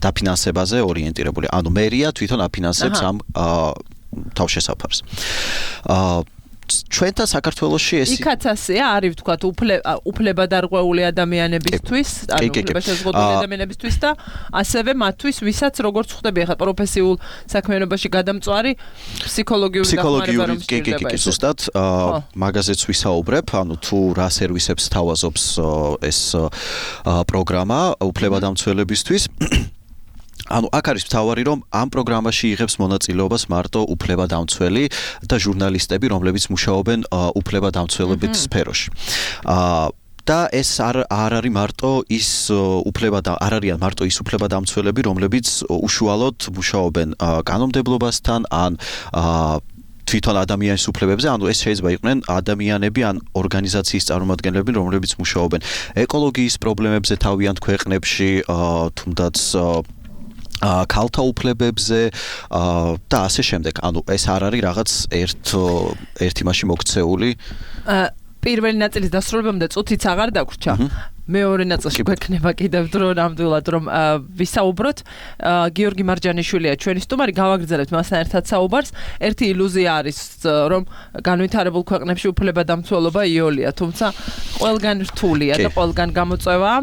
დაფინანსებაზე ორიენტირებული. ანუ მერია თვითონ აფინანსებს ამ თავშესაფარს. ჩვენთან საქართველოში ეს იქაც ასეა, არის ვთქვათ, უფლებადარღვეული ადამიანებისთვის, ანუ უფლებაშეზღუდული ადამიანებისთვის და ასევე მათთვის, ვისაც როგორც ხვდები ახლა პროფესიულ საქმიანობაში გადამწვარი ფსიქოლოგიური დახმარება რომ სჭირდება. კი, კი, ზუსტად, მაგაზეც ვისაუბრებ, ანუ თუ რა სერვისებს თავაზობს ეს პროგრამა უფლებადამცველებისთვის. ანუ აქ არის მთავარი, რომ ამ პროგრამაში იღებს მონაწილეობას მარტო უფლებადამცველი და ჟურნალისტები, რომლებიც მუშაობენ უფლებადამცველობის სფეროში. და ეს არ არ არის მარტო ის უფლებად არ არიან მარტო ის უფლებადამცველები, რომლებიც უშუალოდ მუშაობენ კანონმდებლობასთან ან თვითონ ადამიანის უფლებებზე, ანუ ეს შეიძლება იყვნენ ადამიანები ან ორგანიზაციის წარმომადგენლები, რომლებიც მუშაობენ ეკოლოგიის პრობლემებზე თავიანთ ქვეყნებში, თუნდაც ქალთა უფლებებზე და ასე შემდეგ. ანუ ეს არ არის რაღაც ერთ ერთ იმაში მოქცეული. პირველი ნაწილის დასრულებამდე წუთიც აღარ დაგვრჩა. მეორე ნაწილში გვექნება კიდევ დრო ნამდვილად რომ ვისაუბროთ. გიორგი მარჯანიშვილია ჩვენი სტუმარი, გავაგრძელებთ მასთან ერთად საუბარს. ერთი ილუზია არის რომ განვითარებულ ქვეყნებში უფლებადამცველობა იოლია, თუმცა ყველგან რთულია და ყველგან გამოწვევა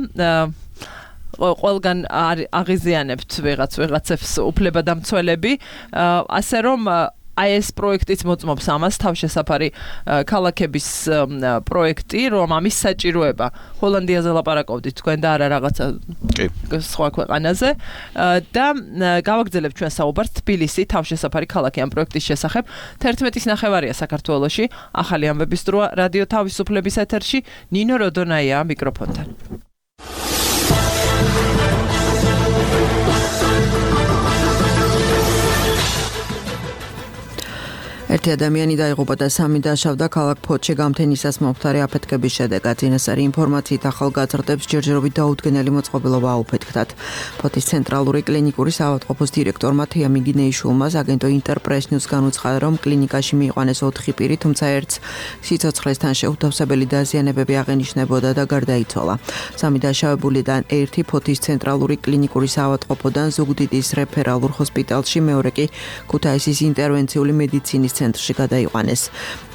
ყველგან აღიზიანებთ ვიღაც ვიღაცებს უფლებადამცველები, ასე რომ აი ეს პროექტიც მოწმობს ამას, თავშესაფარი ქალაქების პროექტი, რომ ამის საჭიროება ჰოლანდიაზე ლაპარაკობდით თქვენ და არა რაღაცა სხვა ქვეყანაზე და გავაგრძელებთ ჩვენ საუბარს თბილისი თავშესაფარი ქალაქი ამ პროექტის შესახებ. თერთმეტის ნახევარია საქართველოში, ახალი ამბების დროა რადიო თავისუფლების ეთერში, ნინო როდონაია მიკროფონთან. ერთი ადამიანი დაიღუპა და სამი დაშავდა ქალაქ ფოთში გამთენისას მომხდარი აფეთქების შედეგად. წინასწარი ინფორმაციით ახალგაზრდებს ჯერჯერობით დაუდგენელი მოწყობილობა აუფეთქდათ. ფოთის ცენტრალური კლინიკური საავადმყოფოს დირექტორმა თეა მიგინეიშვილმა აგენტო ინტერპრეს ნიუს განუცხადა, რომ კლინიკაში მიიყვანეს ოთხი პირი, თუმცა ერთს სიცოცხლესთან შეუთავსებელი დაზიანებები აღენიშნებოდა და გარდაიცვალა. სამი დაშავებულიდან ერთი ფოთის ცენტრალური კლინიკური საავადმყოფოდან ზუგდიდის რეფერალურ ჰოსპიტალში, მეორე კი ქუთაისის ინტერვენციული მედიცინის ცენტრში გადაიყვანეს.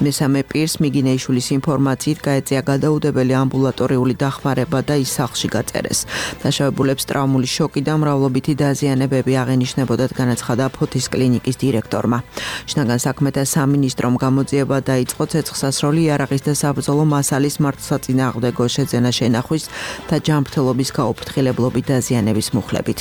მესამე პირს მიგინეიშვილის ინფორმაციით გაეწია გადაუდებელი ამბულატორიული დახმარება და ის სახლში გაწერეს. დაშავებულებს ტრავმული შოკი და მრავლობითი დაზიანებები აღენიშნებოდათ, განაცხადა ფოთის კლინიკის დირექტორმა. შინაგან საქმეთა სამინისტრომ გამოძიება დაიწყო ცეცხლსასროლი იარაღის და საბრძოლო მასალის მართლსაწინააღმდეგო შეძენა შენახვის და ჯანმრთელობის გაუფრთხილებლობით დაზიანების მუხლებით.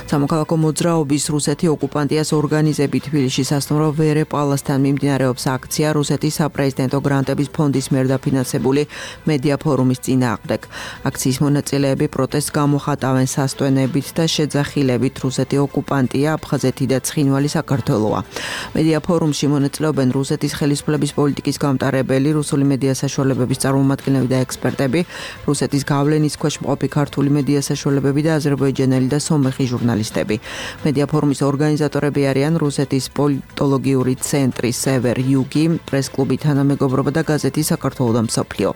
სამოქალაქო მოძრაობის რუსეთი ოკუპანტიას ორგანიზებით თბილისში სასტუმრო ვერე პალასთან მიმდინარეობს აქცია რუსეთის საპრეზიდენტო გრანტების ფონდის მიერ დაფინანსებული მედია ფორუმის წინააღმდეგ. აქციის მონაწილეები პროტესტს გამოხატავენ სასტვენებით და შეძახილებით რუსეთი ოკუპანტია, აფხაზეთი და ცხინვალი საქართველოა. მედია ფორუმში მონაწილეობენ რუსეთის ხელისუფლების პოლიტიკის გამტარებელი, რუსული მედია საშუალებების წარმომადგენლები და ექსპერტები, რუსეთის გავლენის ქვეშ მყოფი ქართული მედია საშუალებები და აზერბაიჯანელი და სომეხი ჟურნალისტები. მედია ფორუმის ორგანიზატორები არიან რუსეთის პოლიტოლოგიური ცენტრი სევერ იუგი, პრეს-კლუბი თანამეგობრობა და გაზეთი საქართველო და მსოფლიო.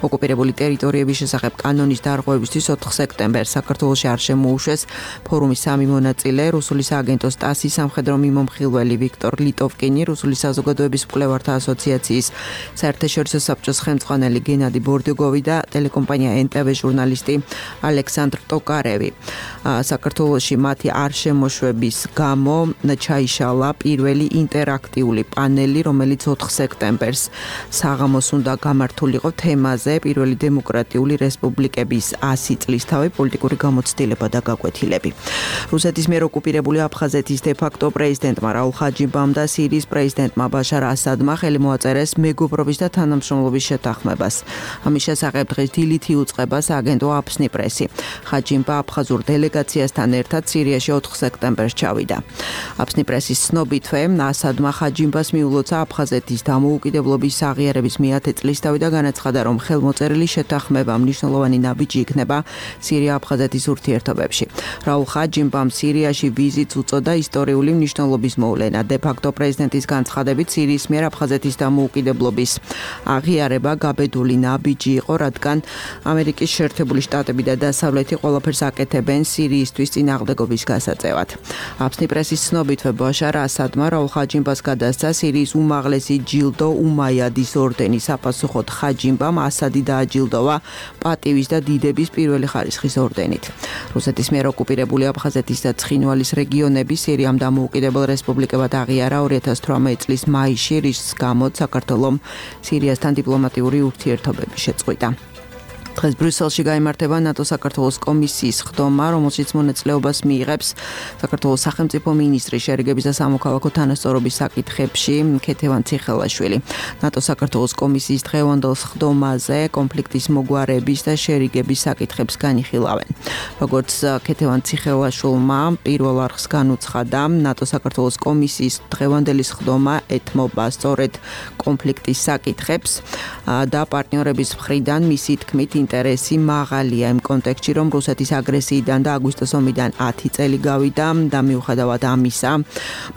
ოკუპირებული ტერიტორიების შესახებ კანონის დარღვევისთვის ოთხ სექტემბერს საქართველოში არ შემოუშვეს ფორუმის სამი მონაწილე, რუსული სააგენტოს ტასის სამხედრო მიმომხილველი ვიქტორ ლიტოვკინი, რუსული საზოგადოების მკვლევართა ასოციაციის საერთაშორისო საბჭოს ხელმძღვანელი გენადი ბორდიუგოვი და ტელეკომპანია ენ ტე ვე ჟურნალისტი ალექსანდრ ტოკარევი. საქართველოში მათი არ შემოშვების გამო ჩაიშალა პირველი ინტერაქტიული პანელი, რომელიც ოთხ სექტემბერს საღამოს უნდა გამართულიყო თემაზე პირველი დემოკრატიული რესპუბლიკების ასი წლისთავი პოლიტიკური გამოცდილება და გაკვეთილები. რუსეთის მიერ ოკუპირებული აფხაზეთის დე-ფაქტო პრეზიდენტმა რაულ ხაჯიბამ და სირიის პრეზიდენტმა ბაშარ ასადმა ხელი მოაწერეს მეგობრობის და თანამშრომლობის შეთანხმებას. ამის შესახებ დღეს დილით იუწყება სააგენტო აფსნი პრესი. ხაჯიბა აფხაზურ დელეგაციასთან ერთად სირიაში ოთხ სექტემბერს ჩავიდა. აფსნი პრესის ცნობითვე ასადმა ხაჯიბას მიულოცა აფხაზეთის დამოუკიდებლობის აღიარების მეათე წლისთავი და განაცხადა, რომ ხელმოწერილი შეთანხმება მნიშვნელოვანი ნაბიჯი იქნება სირია-აფხაზეთის ურთიერთობებში. რაულ ხაჯიბამ სირიაში ვიზიტს უწოდა ისტორიული მნიშვნელობის მოვლენა. დე-ფაქტო პრეზიდენტის განცხადებით, სირიის მიერ აფხაზეთის დამოუკიდებლობის აღიარება გაბედული ნაბიჯი იყო, რადგან ამერიკის შეერთებული შტატები და დასავლეთი ყველაფერს აკეთებენ სირიისთვის წინააღმდეგობის გასაწევად. აფსნი პრესის ცნობითვე ბაშარ ასადმა რაულ ხაჯიბას გადასცა სირიის უმაღლესი ჯილდო უმაიადის ორდენი. საპასუხოდ ხაჯიბამ ასადი დააჯილდოვა პატივის და დიდების პირველი ხარისხის ორდენით. რუსეთის მიერ ოკუპირებული აფხაზეთის და ცხინვალის რეგიონები სირიამ დამოუკიდებელ რესპუბლიკებად აღიარა ორი ათას თვრამეტი წლის მაისში, რის გამოც საქართველომ სირიასთან დიპლომატიური ურთიერთობები შეწყვიტა. დღეს ბრიუსელში გაიმართება ნატო საქართველოს კომისიის ხდომა, რომელშიც მონაწილეობას მიიღებს საქართველოს სახელმწიფო მინისტრი შერიგების და სამოქალაქო თანასწორობის საკითხებში ქეთევან ციხელაშვილი. ნატო საქართველოს კომისიის დღევანდელ ხდომაზე კონფლიქტის მოგვარების და შერიგების საკითხებს განიხილავენ. როგორც ქეთევან ციხელაშვილმა პირველ არხს განუცხადა, ნატო საქართველოს კომისიის დღევანდელი ხდომა ეთმობა სწორედ კონფლიქტის საკითხებს და პარტნიორების მხრიდან მისი თქმით ინტერესი მაღალია იმ კონტექსტში, რომ რუსეთის აგრესიიდან და აგვისტოს ომიდან ათი წელი გავიდა და მიუხედავად ამისა,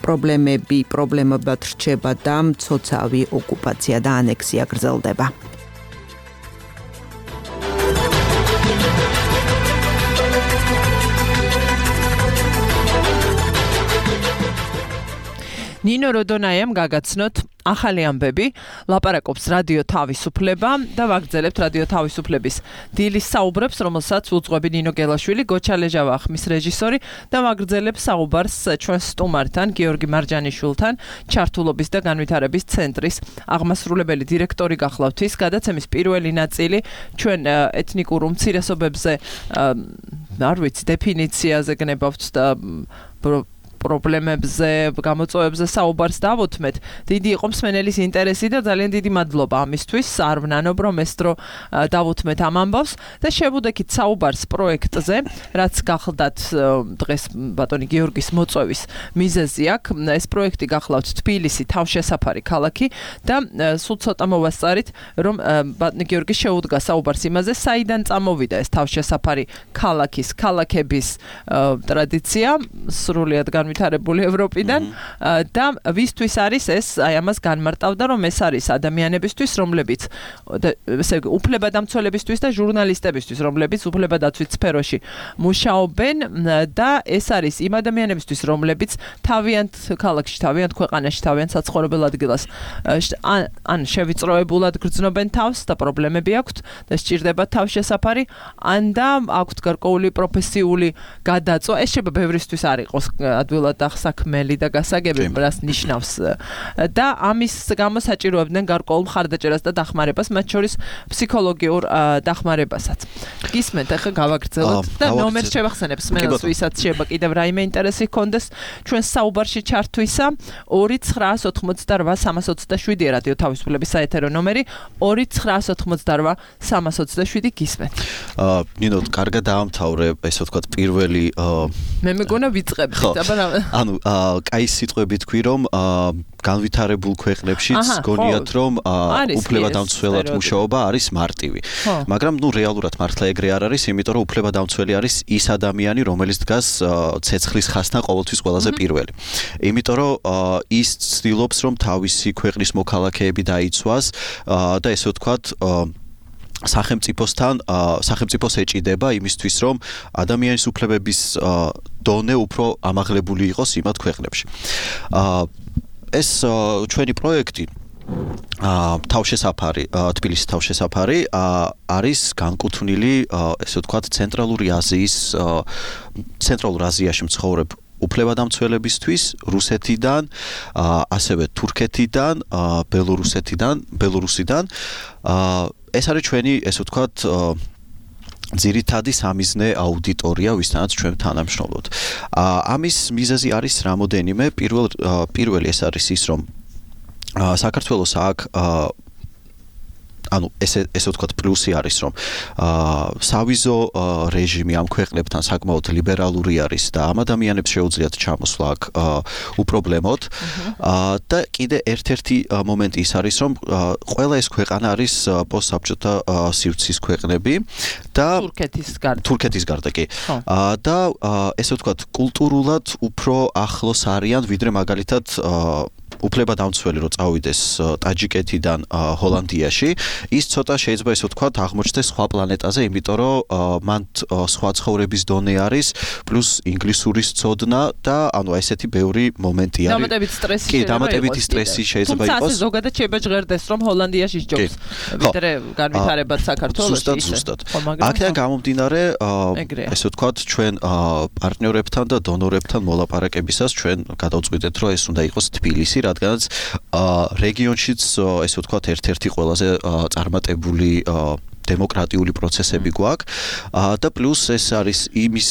პრობლემები პრობლემებად რჩება და მცოცავი ოკუპაცია და ანექსია გრძელდება. ნინო როდონაიამ გაგაცნოთ ახალი ამბები, ლაპარაკობს რადიო თავისუფლება და ვაგრძელებთ რადიო თავისუფლების დილის საუბრებს, რომელსაც უძღვები ნინო გელაშვილი, გოჩა ლეჟავა ხმის რეჟისორი და ვაგრძელებს საუბარს ჩვენ სტუმართან, გიორგი მარჯანიშვილთან, ჩართულობის და განვითარების ცენტრის აღმასრულებელი დირექტორი გახლავთ ის. გადაცემის პირველი ნაწილი ჩვენ ეთნიკურ უმცირესობებზე არ ვიცი, დეფინიციაზე გნებავთ და პრობლემებზე, გამოწვევებზე საუბარს დავუთმეთ. დიდი იყო მსმენელის ინტერესი და ძალიან დიდი მადლობა ამისთვის. არ ვნანობ, რომ ეს დრო დავუთმეთ ამ ამბავს და შევუდექით საუბარს პროექტზე, რაც გახლდათ დღეს ბატონი გიორგის მოწვევის მიზეზი აქვს. ეს პროექტი გახლავთ თბილისი, თავშესაფარი ქალაქი და სულ ცოტა მოვასწარით, რომ ბატონი გიორგი შეუდგა საუბარს იმაზე, საიდან წამოვიდა ეს თავშესაფარი ქალაქის, ქალაქების ტრადიცია, სრულიად განვითარებული ევროპიდან და ვისთვის არის ეს, აი ამას განმარტავდა, რომ ეს არის ადამიანებისთვის, რომლებიც ესე იგი უფლებადამცველებისთვის და ჟურნალისტებისთვის, რომლებიც უფლებადაცვის სფეროში მუშაობენ და ეს არის იმ ადამიანებისთვის, რომლებიც თავიანთ ქალაქში, თავიანთ ქვეყანაში, თავიანთ საცხოვრებელ ადგილას ან შევიწროებულად გრძნობენ თავს და პრობლემები აქვთ და სჭირდება თავშესაფარი, ან და აქვთ გარკვეული პროფესიული გადაწვა. ეს შეიძლება ბევრისთვის არ იყოს ადვილად ახსაქმელი და გასაგები, რას ნიშნავს და ამის გამო საჭიროებდნენ გარკვეულ მხარდაჭერას და დახმარებას, მათ შორის ფსიქოლოგიურ დახმარებასაც. გისმენთ, ახლა გავაგრძელოთ და ნომერს შევახსენებ სმენელს, ვისაც შეიძლება კიდევ რაიმე ინტერესი ჰქონდეს ჩვენ საუბარში ჩართვისა. ორი ცხრაას ოთხმოცდარვა სამას ოცდაშვიდი რადიო თავისუფლების საეთერო ნომერი, ორი ცხრაას ოთხმოცდარვა სამას ოცდაშვიდი. გისმენთ. აა ნინო, კარგად დაამთავრე, ესე ვთქვათ, პირველი მე მეგონა ვიწყებთ, აბა ანუ კაი სიტყვები თქვი, რომ განვითარებულ ქვეყნებშიც გონიათ, რომ უფლებადამცველად მუშაობა არის მარტივი. მაგრამ ნუ რეალურად მართლა ეგრე არ არის, იმიტომ რომ უფლებადამცველი არის ის ადამიანი, რომელიც დგას ცეცხლის ხაზთან ყოველთვის ყველაზე პირველი. იმიტომ რომ ის ცდილობს, რომ თავისი ქვეყნის მოქალაქეები დაიცვას და ესე ვთქვათ სახელმწიფოსთან სახელმწიფოს ეჭიდება იმისთვის, რომ ადამიანის უფლებების დონე უფრო ამაღლებული იყოს იმათ ქვეყნებში. ეს ჩვენი პროექტი თავშესაფარი, თბილისის თავშესაფარი არის განკუთვნილი, ესე ვთქვათ, ცენტრალური აზიის ცენტრალურ აზიაში მცხოვრებ უფლებადამცველებისთვის, რუსეთიდან, ასევე თურქეთიდან, ბელორუსეთიდან, ბელორუსიდან. ეს არის ჩვენი, ესე ვთქვათ, ძირითადი სამიზნე აუდიტორია, ვისთანაც ჩვენ თანამშრომლობთ. ამის მიზეზი არის რამოდენიმე. პირველ პირველი ეს არის ის, რომ საქართველოს აქ ანუ ესე ესე ვთქვათ, პლუსი არის, რომ სავიზო რეჟიმი ამ ქვეყნებთან საკმაოდ ლიბერალური არის და ამ ადამიანებს შეუძლიათ ჩამოსვლა აქ უპრობლემოდ. და კიდე ერთ-ერთი მომენტი ის არის, რომ ყველა ეს ქვეყანა არის პოსტსაბჭოთა სივრცის ქვეყნები და თურქეთის გარდა. თურქეთის გარდა კი. და ესე ვთქვათ, კულტურულად უფრო ახლოს არიან, ვიდრე მაგალითად უფლებადამცველი რო წავიდეს ტაჯიკეთიდან ჰოლანდიაში, ის ცოტა შეიძლება ისე ვთქვათ აღმოჩნდეს სხვა პლანეტაზე, იმიტომ რომ მან სხვა ცხოვრების დონე არის, პლუს ინგლისურის ცოდნა და ანუ ესეთი ბევრი მომენტი არის. დამატებით სტრესი კი, დამატებით სტრესი შეიძლება იყოს. თუმცა ზოგადად შეიძლება ჟღერდეს, რომ ჰოლანდიაში ჯობს, ვიდრე განვითარებად საქართველოში. ზუსტად, ზუსტად. აქედან გამომდინარე, ესე ვთქვათ, ჩვენ პარტნიორებთან და დონორებთან მოლაპარაკებისას ჩვენ გადავწყვიტეთ, რომ ეს უნდა იყოს თბილისი, რადგანაც რეგიონშიც, ესე ვთქვათ, ერთ-ერთი ყველაზე წარმატებული დემოკრატიული პროცესები გვაქვს და პლუს ეს არის იმის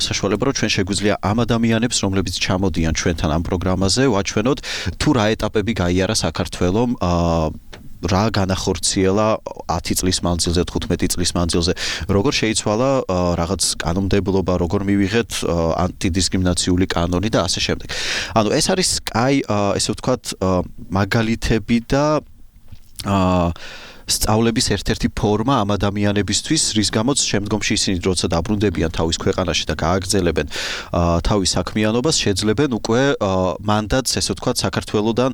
საშუალება, რომ ჩვენ შეგვიძლია ამ ადამიანებს, რომლებიც ჩამოდიან ჩვენთან ამ პროგრამაზე, ვაჩვენოთ თუ რა ეტაპები გაიარა საქართველომ რა განახორციელა ათი წლის მანძილზე, თხუთმეტი წლის მანძილზე, როგორ შეიცვალა რაღაც კანონმდებლობა, როგორ მივიღეთ ანტიდისკრიმინაციული კანონი და ასე შემდეგ. ანუ ეს არის კაი, ესე ვთქვათ, მაგალითები და აა სწავლების ერთ-ერთი ფორმა ამ ადამიანებისთვის, რის გამოც შემდგომში ისინი როცა დაბრუნდებიან თავის ქვეყანაში და გააგრძელებენ თავის საქმიანობას, შეძლებენ უკვე მანდატს, ესე ვთქვათ, საქართველოსდან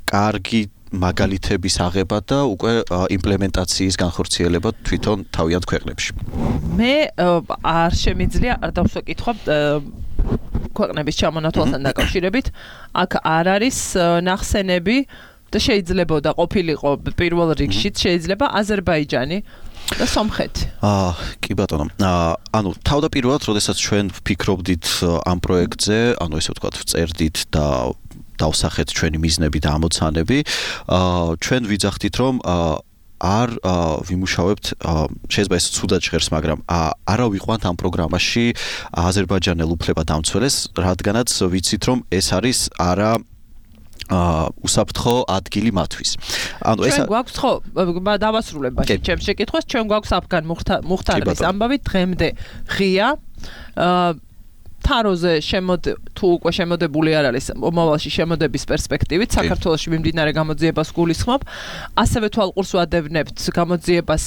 კარგი მაგალითების აღება და უკვე იმპლემენტაციის განხორციელება თვითონ თავიანთ ქვეყნებში. მე არ შემიძლია არ დავსვა კითხვა ქვეყნების ჩამონათვალთან დაკავშირებით, აქ არ არის ნახსენები და შეიძლება და ყოფილიყო პირველ რიგში შეიძლება აზერბაიჯანი და სომხეთი. აა კი ბატონო. ანუ თავდაპირველად, როდესაც ჩვენ ვფიქრობდით ამ პროექტზე, ანუ ესე ვთქვათ, წერდით და დავსახეთ ჩვენი მიზნები და ამოცანები, აა ჩვენ ვიძახდით, რომ არ ვიმუშავებთ, შეიძლება ეს ცუდად ჟღერს, მაგრამ არა ვიყვანთ ამ პროგრამაში აზერბაიჯანელ უფლებადამცველებს, რადგანაც ვიცით, რომ ეს არის არა აა უსაფრთხო ადგილი მათთვის. ანუ ეს ჩვენ გვაქვს ხო დავასრულებ ბაში ჩემს შეკითხვას, ჩვენ გვაქვს აფგან მუხთარის ამბავი დღემდე ღია აა თაროზე შემოდ თუ უკვე შემოდებული არ არის მომავალში შემოდების პერსპექტივით საქართველოში მიმდინარე გამოძიებას გულისხმობ, ასევე თვალყურს ვადევნებთ გამოძიებას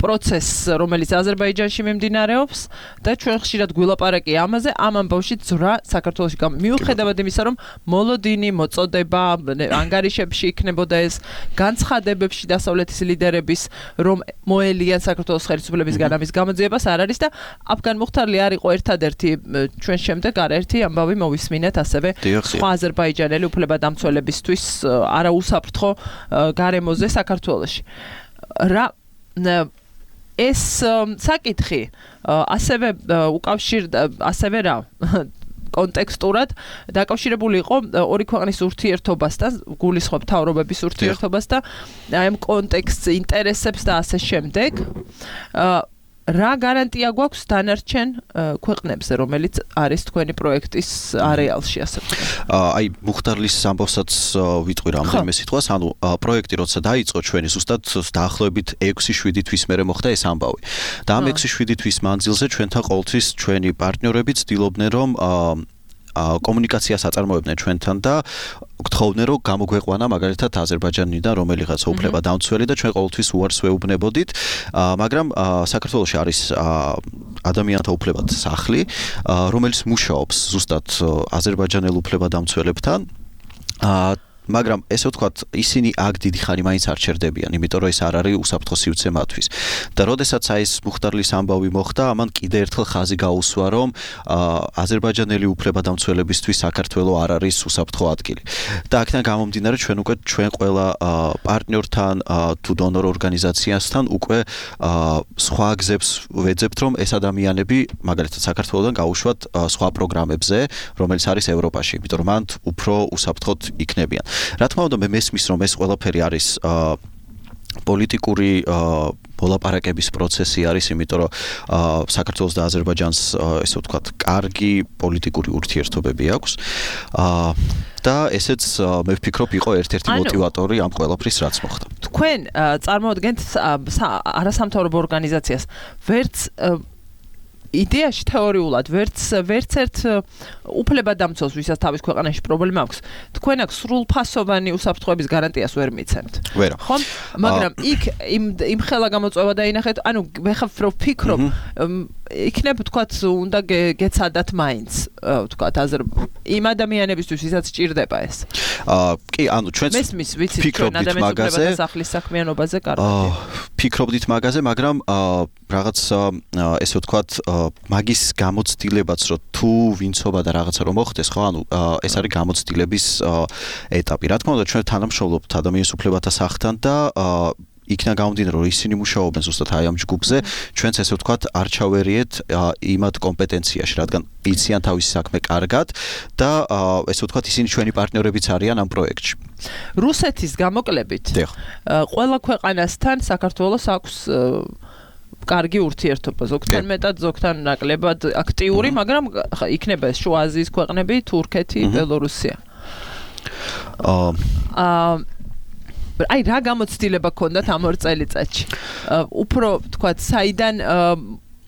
პროცესს, რომელიც აზერბაიჯანში მიმდინარეობს და ჩვენ ხშირად გვილაპარაკი ამაზე, ამ ამბავში ძრა საქართველოში მიუხედავად იმისა, რომ მოლოდინი, მოწოდება, ანგარიშებში იქნებოდა ეს განცხადებებში დასავლეთის ლიდერების, რომ მოელიან საქართველოს ხელისუფლებისგან ამის გამოძიებას არ არის და აფგან მუხთარლი არ იყო ერთად ერთი ჩვენ შემდეგ არაერთი ამბავი მოვისმინეთ ასევე სხვა აზერბაიჯანელი უფლებადამცველებისთვის არაუსაფრთხო გარემოზე საქართველოში. რა ეს საკითხი ასევე უკავშირდა ასევე რა კონტექსტურად დაკავშირებული იყო ორი ქვეყნის ურთიერთობასთან, გულისხმობ მთავრობების ურთიერთობას და აი ამ კონტექსტს, ინტერესებს და ასე შემდეგ. რა გარანტია გვაქვს დანარჩენ ქვეყნებზე, რომელიც არის თქვენი პროექტის არეალში, ასე ვთქვათ? აი, მუხტარლის ამბავსაც ვიტყვი რამდენიმე სიტყვას, ანუ პროექტი როცა დაიწყო ჩვენი ზუსტად დაახლოებით ექვსი შვიდი თვის მერე მოხდა ეს ამბავი. და ამ ექვსი შვიდი თვის მანძილზე ჩვენთან ყოველთვის ჩვენი პარტნიორები ცდილობდნენ, რომ კომუნიკაციას აწარმოებდნენ ჩვენთან და გთხოვდნენ, რომ გამოგვეყვანა მაგალითად აზერბაიჯანიდან რომელიღაცა უფლებადამცველი და ჩვენ ყოველთვის უარს ვეუბნებოდით, მაგრამ საქართველოში არის ადამიანთა უფლებათა სახლი, რომელიც მუშაობს ზუსტად აზერბაიჯანელ უფლებადამცველებთან. მაგრამ ესე ვთქვათ, ისინი აქ დიდი ხანი მაინც არ ჩერდებიან, იმიტომ რომ ეს არ არის უსაფრთხო სივრცე მათთვის. და როდესაც აი ეს მუხტარლის ამბავი მოხდა, ამან კიდე ერთხელ ხაზი გაუსვა, რომ აზერბაიჯანელი უფლებადამცველებისთვის საქართველო არ არის უსაფრთხო ადგილი. და აქედან გამომდინარე, ჩვენ უკვე ჩვენ ყველა პარტნიორთან თუ დონორ ორგანიზაციასთან უკვე სხვა გზებს ვეძებთ, რომ ეს ადამიანები მაგალითად საქართველოდან გაუშვათ სხვა პროგრამებზე, რომელიც არის ევროპაში, იმიტომ რომ მანდ უფრო უსაფრთხოდ იქნებიან. რა თქმა უნდა, მე მესმის, რომ ეს ყველაფერი არის პოლიტიკური მოლაპარაკების პროცესი არის, იმიტომ რომ საქართველოს და აზერბაიჯანს, ესე ვთქვათ, კარგი პოლიტიკური ურთიერთობები აქვს. და ესეც მე ვფიქრობ იყო ერთ-ერთი მოტივატორი ამ ყველაფრის რაც მოხდა. თქვენ წარმოადგენთ არასამთავრობო ორგანიზაციას, ვერც იდეაში თეორიულად ვერც ვერც ერთ უფლებადამცველს, ვისაც თავის ქვეყანაში პრობლემა აქვს, თქვენ აქ სრულფასოვანი უსაფრთხოების გარანტიას ვერ მიცემთ. ვერა. ხო? მაგრამ იქ იმ იმ ხელა გამოწვევა დაინახეთ, ანუ მე ხარ ვფიქრობ, იქნებ თქვათ უნდა გეცადათ მაინც, თქვათ აზერ იმ ადამიანებისთვის, ვისაც სჭირდება ეს. აა კი, ანუ ჩვენც მესმის, ვიცით, ჩვენ ადამიანის უფლებათა სახლის საქმიანობაზე კარგად. ფიქრობდით მაგაზე, მაგრამ რაღაც ესე ვთქვათ, მაგის გამოცდილებაც რომ თუ ვინცობა და რაღაცა რომ მოხდეს, ხო, ანუ ეს არის გამოცდილების ეტაპი. რა თქმა უნდა, ჩვენ თანამშრომლობთ ადამიანის უფლებათა სახლთან და იქნა გამომდინარე რომ ისინი მუშაობენ ზუსტად აი ამ ჯგუფზე, ჩვენც ესე ვთქვათ არ ჩავერიეთ იმათ კომპეტენციაში, რადგან იციან თავისი საქმე კარგად და ესე ვთქვათ ისინი ჩვენი პარტნიორებიც არიან ამ პროექტში. რუსეთის გამოკლებით ყველა ქვეყანასთან საქართველოს აქვს კარგი ურთიერთობა, ზოგთან მეტად, ზოგთან ნაკლებად აქტიური, მაგრამ იქნება შუა აზიის ქვეყნები, თურქეთი, ბელორუსია. აა აი რა გამოცდილება გქონდათ ამ ორ წელიწადში? უფრო თქვათ, საიდან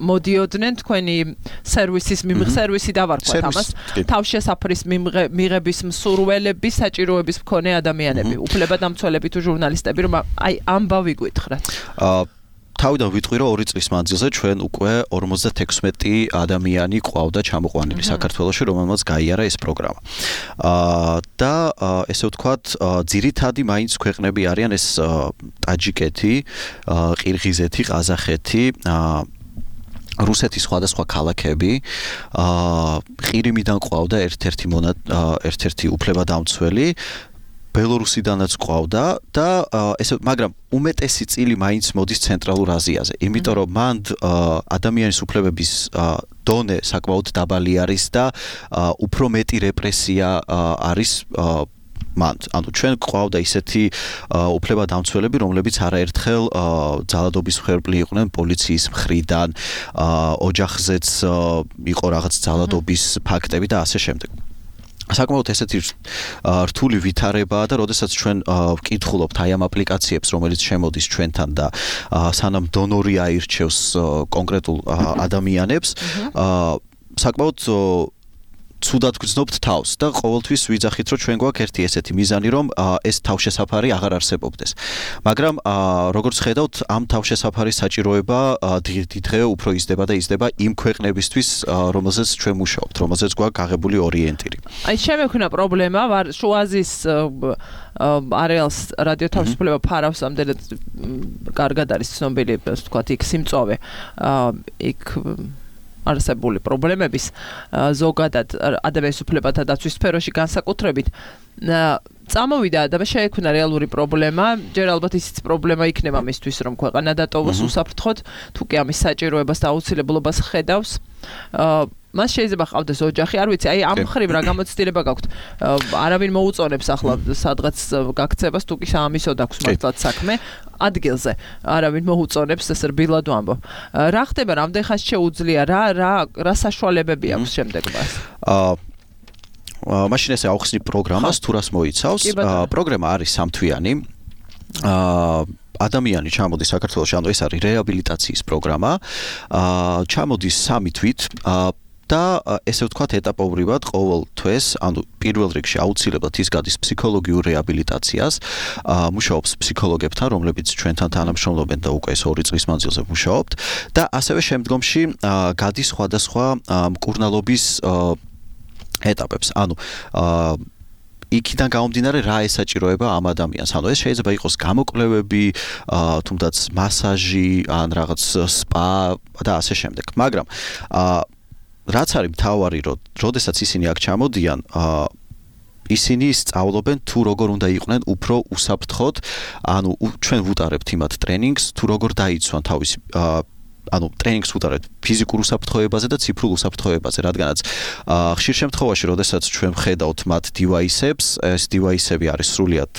მოდიოდნენ თქვენი სერვისის მიმღ სერვისი დავარქვათ ამას თავშესაფრის მიღების მსურველები, საჭიროების მქონე ადამიანები, უფლებადამცველები თუ ჟურნალისტები, რომ აი ამბავი გითხრათ. აა თავიდან ვიტყვი რომ ორი წლის მანძილზე ჩვენ უკვე ორმოცდათექვსმეტი ადამიანი ყავდა ჩამოყვანილი საქართველოში, რომელმაც გაიარა ეს პროგრამა. აა და ესე ვთქვათ, ძირითადი მაინც ქვეყნები არიან ეს ტაჯიკეთი, ყირღიზეთი, ყაზახეთი, აა რუსეთის სხვადასხვა ქალაქები, აა ყირიმიდან ყავდა ერთ-ერთი მონა ერთ-ერთი უფლებადამცველი, ბელორუსიდანაც ყავდა და ესე მაგრამ უმეტესი წილი მაინც მოდის ცენტრალურ აზიაზე, იმიტომ რომ მან ადამიანის უფლებების დონე საკმაოდ დაბალი არის და უფრო მეტი რეპრესია არის მან. ანუ ჩვენ ყავდა ისეთი უფლებადამცველები, რომლებიც არაერთხელ ძალადობის მსხვერპლი იყვნენ პოლიციის მხრიდან, ოჯახზეც იყო რაღაც ძალადობის ფაქტები და ასე შემდეგ. საკმაოდ ესეთი რთული ვითარებაა და როდესაც ჩვენ ვკითხულობთ აი ამ აპლიკაციებს, რომელიც შემოდის ჩვენთან და სანამ დონორი აირჩევს კონკრეტულ ადამიანებს, საკმაოდ ცუდად გრძნობთ თავს და ყოველთვის ვიძახით რომ ჩვენ გვაქვს ერთი ესეთი მიზანი რომ ეს თავშესაფარი აღარ არსებობდეს. მაგრამ როგორც ხედავთ ამ თავშესაფარის საჭიროება დღე უფრო იზრდება და იზრდება იმ ქვეყნებისთვის რომელზეც ჩვენ მუშაობთ, რომელზეც გვაქვს აღებული ორიენტირი. აი შემექნა პრობლემა ვარ შუა აზიის არეალს რადიო თავისუფლება ფარავს ამდენად კარგად არის ცნობილი ვთქვათ იქ სიმწოვე იქ არსებული პრობლემების ზოგადად ადამიანის უფლებათა დაცვის სფეროში განსაკუთრებით წამოვიდა და შეექმნა რეალური პრობლემა, ჯერ ალბათ ისიც პრობლემა იქნება მისთვის რომ ქვეყანა დატოვოს უსაფრთხოდ, თუ კი ამის საჭიროებას და აუცილებლობას ხედავს. მას შეიძლება ყავდეს ოჯახი, არ ვიცი, აი ამ მხრივ რა გამოცდილება გაქვთ? არავინ მოუწონებს ახლა სადღაც გაქცევას, თუ კი საამისოდ აქვს მართლაც საქმე ადგილზე. არავინ მოუწონებს, ეს რბილად ვამბობ. რა ხდება, რამდენ ხანს შეუძლია, რა რა რა საშუალებები აქვს შემდეგ მას? აა მაშინ ესე ავხსნი პროგრამას, თუ რას მოიცავს. პროგრამა არის სამთვიანი. აა ადამიანი ჩამოდის საქართველოში, ანუ ეს არის რეაბილიტაციის პროგრამა. აა ჩამოდის სამი თვით. აა და ესე ვთქვათ ეტაპობრივად ყოველ თვეს, ანუ პირველ რიგში აუცილებლად ის გადის ფსიქოლოგიურ რეაბილიტაციას, მუშაობს ფსიქოლოგებთან, რომლებიც ჩვენთან თანამშრომლობენ და უკვე ეს ორი წლის მანძილზე მუშაობთ და ასევე შემდგომში გადის სხვადასხვა მკურნალობის ეტაპებს. ანუ იქიდან გამომდინარე რა ესაჭიროება ამ ადამიანს. ანუ ეს შეიძლება იყოს გამოკვლევები, თუნდაც მასაჟი, ან რაღაც სპა და ასე შემდეგ. მაგრამ რაც არის მთავარი, რომ როდესაც ისინი აქ ჩამოდიან, ისინი სწავლობენ თუ როგორ უნდა იყვნენ უფრო უსაფრთხოდ, ანუ ჩვენ ვუტარებთ იმათ ტრენინგს, თუ როგორ დაიცვან თავისი ანუ ტრენინგს ვუტარებთ ფიზიკურ უსაფრთხოებაზე და ციფრულ უსაფრთხოებაზე, რადგანაც ხშირ შემთხვევაში, როდესაც ჩვენ ვხედავთ მათ დივაისებს, ეს დივაისები არის სრულიად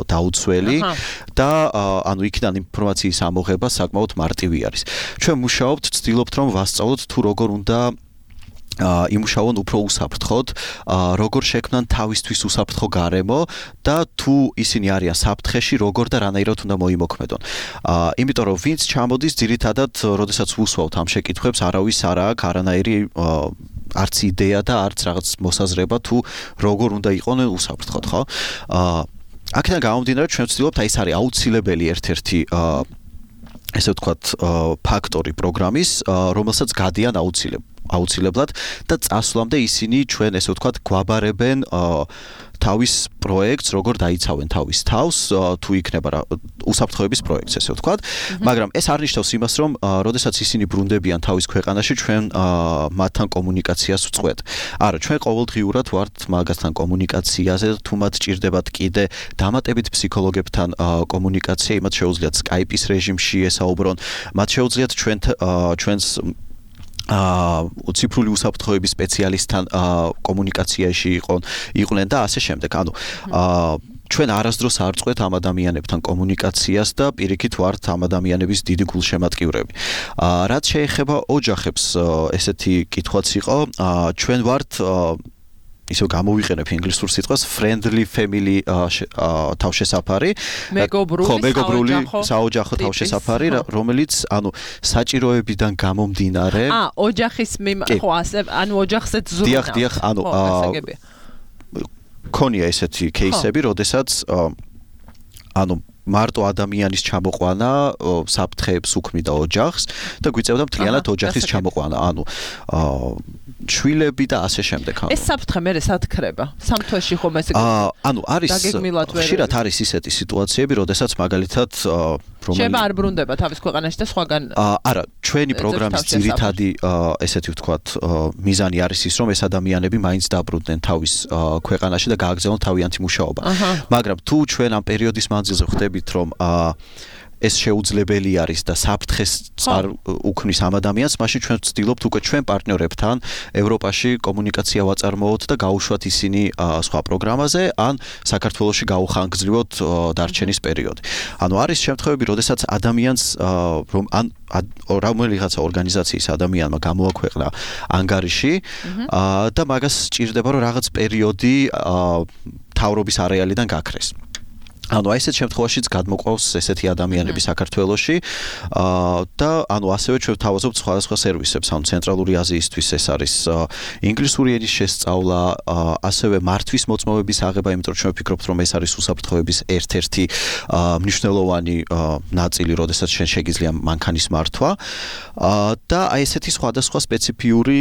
დაუცველი და ანუ იქიდან ინფორმაციის ამოღება საკმაოდ მარტივი არის. ჩვენ მუშაობთ, ვცდილობთ რომ ვასწავლოთ თუ როგორ უნდა იმუშაონ უფრო უსაფრთხოდ, როგორ შექმნან თავისთვის უსაფრთხო გარემო და თუ ისინი არიან საფრთხეში, როგორ და რანაირად უნდა მოიმოქმედონ. იმიტომ რომ ვინც ჩამოდის ძირითადად, როდესაც ვუსვავთ ამ შეკითხვებს, არავის არ აქვს არანაირი არც იდეა და არც რაღაც მოსაზრება თუ როგორ უნდა იყვნენ უსაფრთხოდ, ხო? აქედან გამომდინარე, ჩვენ ვცდილობთ, აი ეს არის აუცილებელი ერთ-ერთი ესე ვთქვათ ფაქტორი პროგრამის, რომელსაც გადიან აუცილებლად. აუცილებლად და წასვლამდე ისინი ჩვენ ესე ვთქვათ გვაბარებენ თავის პროექტს როგორ დაიცავენ თავის თავს თუ იქნება უსაფრთხოების პროექტს ესე ვთქვათ მაგრამ ეს არ ნიშნავს იმას რომ როდესაც ისინი ბრუნდებიან თავის ქვეყანაში ჩვენ მათთან კომუნიკაციას ვწყვეტ არა ჩვენ ყოველდღიურად ვართ მაგასთან კომუნიკაციაზე თუ მათ ჭირდებათ კიდე დამატებით ფსიქოლოგებთან კომუნიკაცია იმათ შეუძლიათ Skype-ის რეჟიმში ესაუბრონ მათ შეუძლიათ ჩვენ ჩვენს აა ციფრული უსაფრთხოების სპეციალისტთან კომუნიკაციაში იყონ იყვნენ და ასე შემდეგ. ანუ აა ჩვენ არასდროს არ წყვეთ ამ ადამიანებთან კომუნიკაციას და პირიქით ვართ ამ ადამიანების დიდი გულშემატკივრები. აა რაც შეეხება ოჯახებს, ესეთი კითხვაც იყო, აა ჩვენ ვართ ისე გამოვიყენებ ინგლისურ სიტყვას friendly family თავშესაფარი მეგობრული საოჯახო თავშესაფარი რომელიც ანუ საჭიროებიდან გამომდინარე ა ოჯახის ხო ასე ანუ ოჯახზეც ზრუნავს დიახ დიახ ანუ ქონია ესეთი кейსები როდესაც ანუ მარტო ადამიანის ჩამოყვანა საფრთხეებს უქმნიდა ოჯახს და გვიწევდა მთლიანად ოჯახის ჩამოყვანა ანუ შვილები და ასე შემდეგ. ეს საფრთხე მე სათქრება. სამ თვეში ხომ ესე ანუ არის ხშირად არის ისეთი სიტუაციები, როდესაც მაგალითად შეიძლება არ ბრუნდება თავის ქვეყანაში და სხვაგან არა, ჩვენი პროგრამის ძირითადი ესეთი ვთქვათ მიზანი არის ის, რომ ეს ადამიანები მაინც დაბრუნდნენ თავის ქვეყანაში და გააგრძელონ თავიანთი მუშაობა. მაგრამ თუ ჩვენ ამ პერიოდის მანძილზე ხვდებით, რომ ეს შეუძლებელი არის და საფრთხეს წარ უქმნის ამ ადამიანს, მაშინ ჩვენ ვცდილობთ უკვე ჩვენ პარტნიორებთან ევროპაში კომუნიკაცია ვაწარმოოთ და გაუშვათ ისინი სხვა პროგრამაზე, ან საქართველოში გაუხანგრძლივოთ დარჩენის პერიოდი. ანუ არის შემთხვევები, როდესაც ადამიანს რომ ან რომელიღაცა ორგანიზაციის ადამიანმა გამოაქვეყნა ანგარიში და მაგას სჭირდება რომ რაღაც პერიოდი თავრობის არეალიდან გაქრეს. ანუ აი ესეთ შემთხვევაშიც გადმოყავს ესეთი ადამიანები საქართველოში და ანუ ასევე ჩვენ ვთავაზობთ სხვადასხვა სერვისებს, ანუ ცენტრალური აზიისთვის ეს არის ინგლისური ენის შესწავლა, ასევე მართვის მოწმობების აღება, იმიტომ რომ ჩვენ ვფიქრობთ, რომ ეს არის უსაფრთხოების ერთ-ერთი მნიშვნელოვანი ნაწილი, როდესაც ჩვენ შეგიძლია მანქანის მართვა და აი ესეთი სხვადასხვა სპეციფიური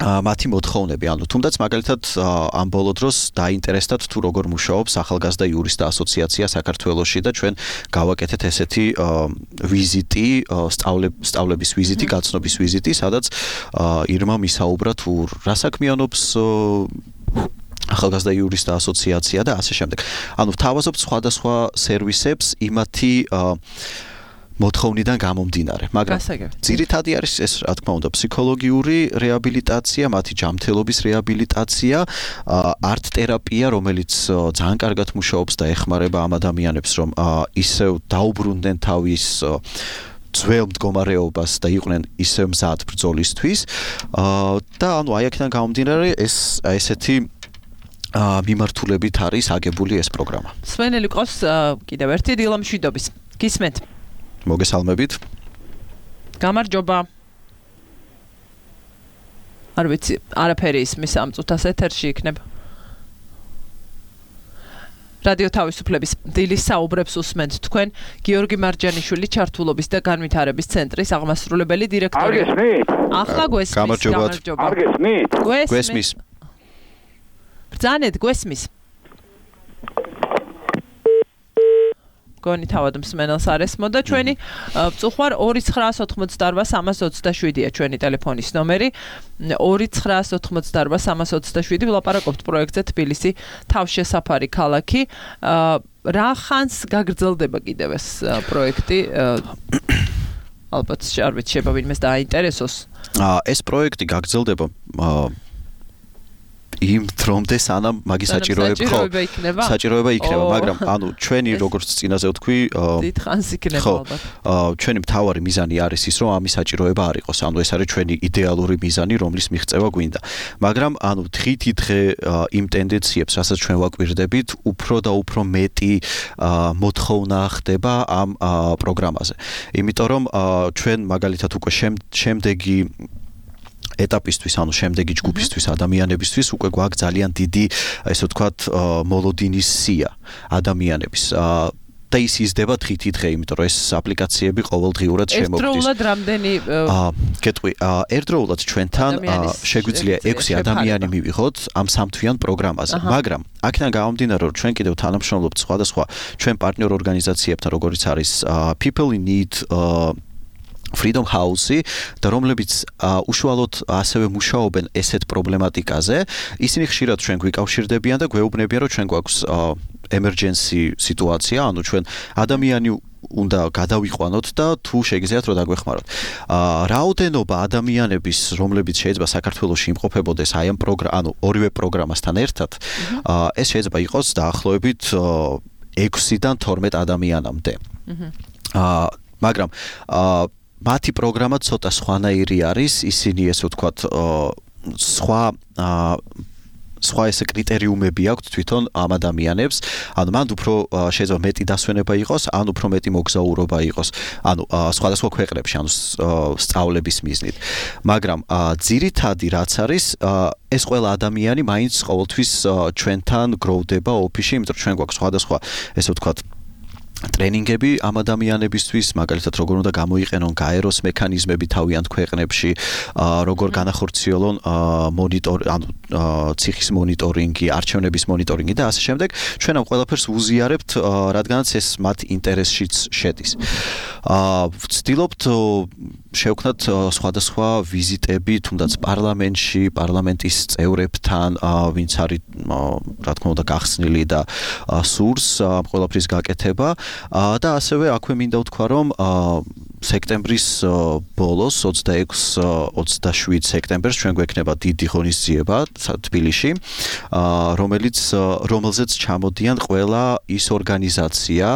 მათი მოთხოვნები, ანუ თუნდაც მაგალითად ამ ბოლო დროს დაინტერესდათ თუ როგორ მუშაობს ახალგაზრდა იურისტთა ასოციაცია საქართველოში და ჩვენ გავაკეთეთ ესეთი ვიზიტი, სწავლების ვიზიტი, გაცნობის ვიზიტი, სადაც ირმა მისაუბრა თუ რა საქმიანობს ახალგაზრდა იურისტთა ასოციაცია და ასე შემდეგ. ანუ ვთავაზობთ სხვადასხვა სერვისებს იმათი მოთხოვნიდან გამომდინარე, მაგრამ ძირითადი არის ეს, რა თქმა უნდა, ფსიქოლოგიური რეაბილიტაცია, მათი ჯანმრთელობის რეაბილიტაცია, არტ თერაპია, რომელიც ძალიან კარგად მუშაობს და ეხმარება ამ ადამიანებს, რომ ისევ დაუბრუნდნენ თავის ძველ მდგომარეობას და იყვნენ ისევ მზად ბრძოლისთვის. და ანუ აი აქედან გამომდინარე ეს ესეთი მიმართულებით არის აგებული ეს პროგრამა. სვენელი ყავს კიდევ ერთი დილა მშვიდობის. გისმენთ. მოგესალმებით. გამარჯობა. არ ვიცი, არაფერი ისმის ამ წუთას ეთერში იქნება. რადიო თავისუფლების დილის საუბრებს უსმენთ თქვენ, გიორგი მარჯანიშვილი ჩართულობის და განვითარების ცენტრის აღმასრულებელი დირექტორი. არ გესმით? ახლა გვესმის. გამარჯობა. არ გესმით? გვესმის. ბრძანეთ, გვესმის. გონი თავად მსმენელს არ ესმოდა ჩვენი წუხვარ ორი ცხრა ოთხმოცდაოთხ სამას ოცდაშვიდია ჩვენი ტელეფონის ნომერი ორი ცხრა ოთხმოცდაოთხ სამას ოცდაშვიდი ვლაპარაკობთ პროექტზე თბილისი თავშესაფარი ქალაქი რა ხანს გაგრძელდება კიდევ ეს პროექტი ალბათ არ ვიცი შეიძლება ვინმეს დააინტერესოს ეს პროექტი გაგრძელდება იმ დრომდე სანამ მაგის საჭიროება ხო საჭიროება იქნება მაგრამ ანუ ჩვენი როგორც წინაზე ვთქვი დიდხანს იქნება ალბათ ჩვენი მთავარი მიზანი არის ის რომ ამის საჭიროება არ იყოს ანუ ეს არის ჩვენი იდეალური მიზანი რომლის მიღწევა გვინდა მაგრამ ანუ დღითიდღე იმ ტენდენციებს რასაც ჩვენ ვაკვირდებით უფრო და უფრო მეტი მოთხოვნა ხდება ამ პროგრამაზე იმიტომ რომ ჩვენ მაგალითად უკვე შემდეგი ეტაპისთვის, ანუ შემდეგი ჯგუფისთვის, ადამიანებისთვის უკვე გვაქვს ძალიან დიდი, ესე ვთქვათ, მოლოდინის სია ადამიანების. და ის იზრდება დღითი დღე, იმიტომ რომ ეს აპლიკაციები ყოველდღიურად შემოგდის. ერთდროულად რამდენი აა გეტყვი, ერთდროულად ჩვენთან შეგვიძლია ექვსი ადამიანი მივიღოთ ამ სამთვიან პროგრამაზე, მაგრამ აქედან გამომდინარე, რომ ჩვენ კიდევ თანამშრომლობთ სხვადასხვა ჩვენ პარტნიორ ორგანიზაციებთან, როგორიც არის People in Need Freedom House-ი და რომლებიც უშუალოდ ასევე მუშაობენ ესეთ პრობლემატიკაზე, ისინი ხშირად ჩვენ გვიკავშირდებიან და გვეუბნებიან, რომ ჩვენ გვაქვს emergency სიტუაცია, ანუ ჩვენ ადამიანი უნდა გადავიყვანოთ და თუ შეგიძლიათ რომ დაგვეხმაროთ. აა რაოდენობა ადამიანების, რომლებიც შეიძლება საქართველოში იმყოფებოდეს აი ამ პროგრამ, ანუ ორივე პროგრამასთან ერთად, აა ეს შეიძლება იყოს დაახლოებით ექვსიდან თორმეტ ადამიანამდე. აა მაგრამ აა მათი პროგრამა ცოტა სხვანაირი არის, ისინი ესე ვთქვათ, სხვა აა სხვა ესე კრიტერიუმები აქვს თვითონ ამ ადამიანებს, ანუ მანდ უფრო შეიძლება მეტი დასვენება იყოს, ან უფრო მეტი მოგზაურობა იყოს, ანუ სხვადასხვა ქვეყნებში, ანუ სწავლების მიზნით. მაგრამ ძირითადი რაც არის, ეს ყველა ადამიანი მაინც ყოველთვის ჩვენთან გროვდება ოფისში, იმიტომ რომ ჩვენ გვაქვს სხვადასხვა ესე ვთქვათ ტრენინგები ამ ადამიანებისთვის, მაგალითად როგორ უნდა გამოიყენონ გაეროს მექანიზმები თავიანთ ქვეყნებში, როგორ განახორციელონ მონიტორინგი, ანუ ციხის მონიტორინგი, არჩევნების მონიტორინგი და ასე შემდეგ. ჩვენ ამ ყველაფერს ვუზიარებთ, რადგანაც ეს მათ ინტერესშიც შედის. ვცდილობთ შევქნათ სხვადასხვა ვიზიტები, თუნდაც პარლამენტში, პარლამენტის წევრებთან, ვინც არის, რა თქმა უნდა, გახსნილი და სურს ამ ყველაფრის გაკეთება. და ასევე აქვე მინდა ვთქვა, რომ სექტემბრის ბოლოს ოცდაექვსი ოცდაშვიდ სექტემბერს ჩვენ გვექნება დიდი ღონისძიება თბილისში, რომელიც რომელზეც ჩამოდიან ყველა ის ორგანიზაცია,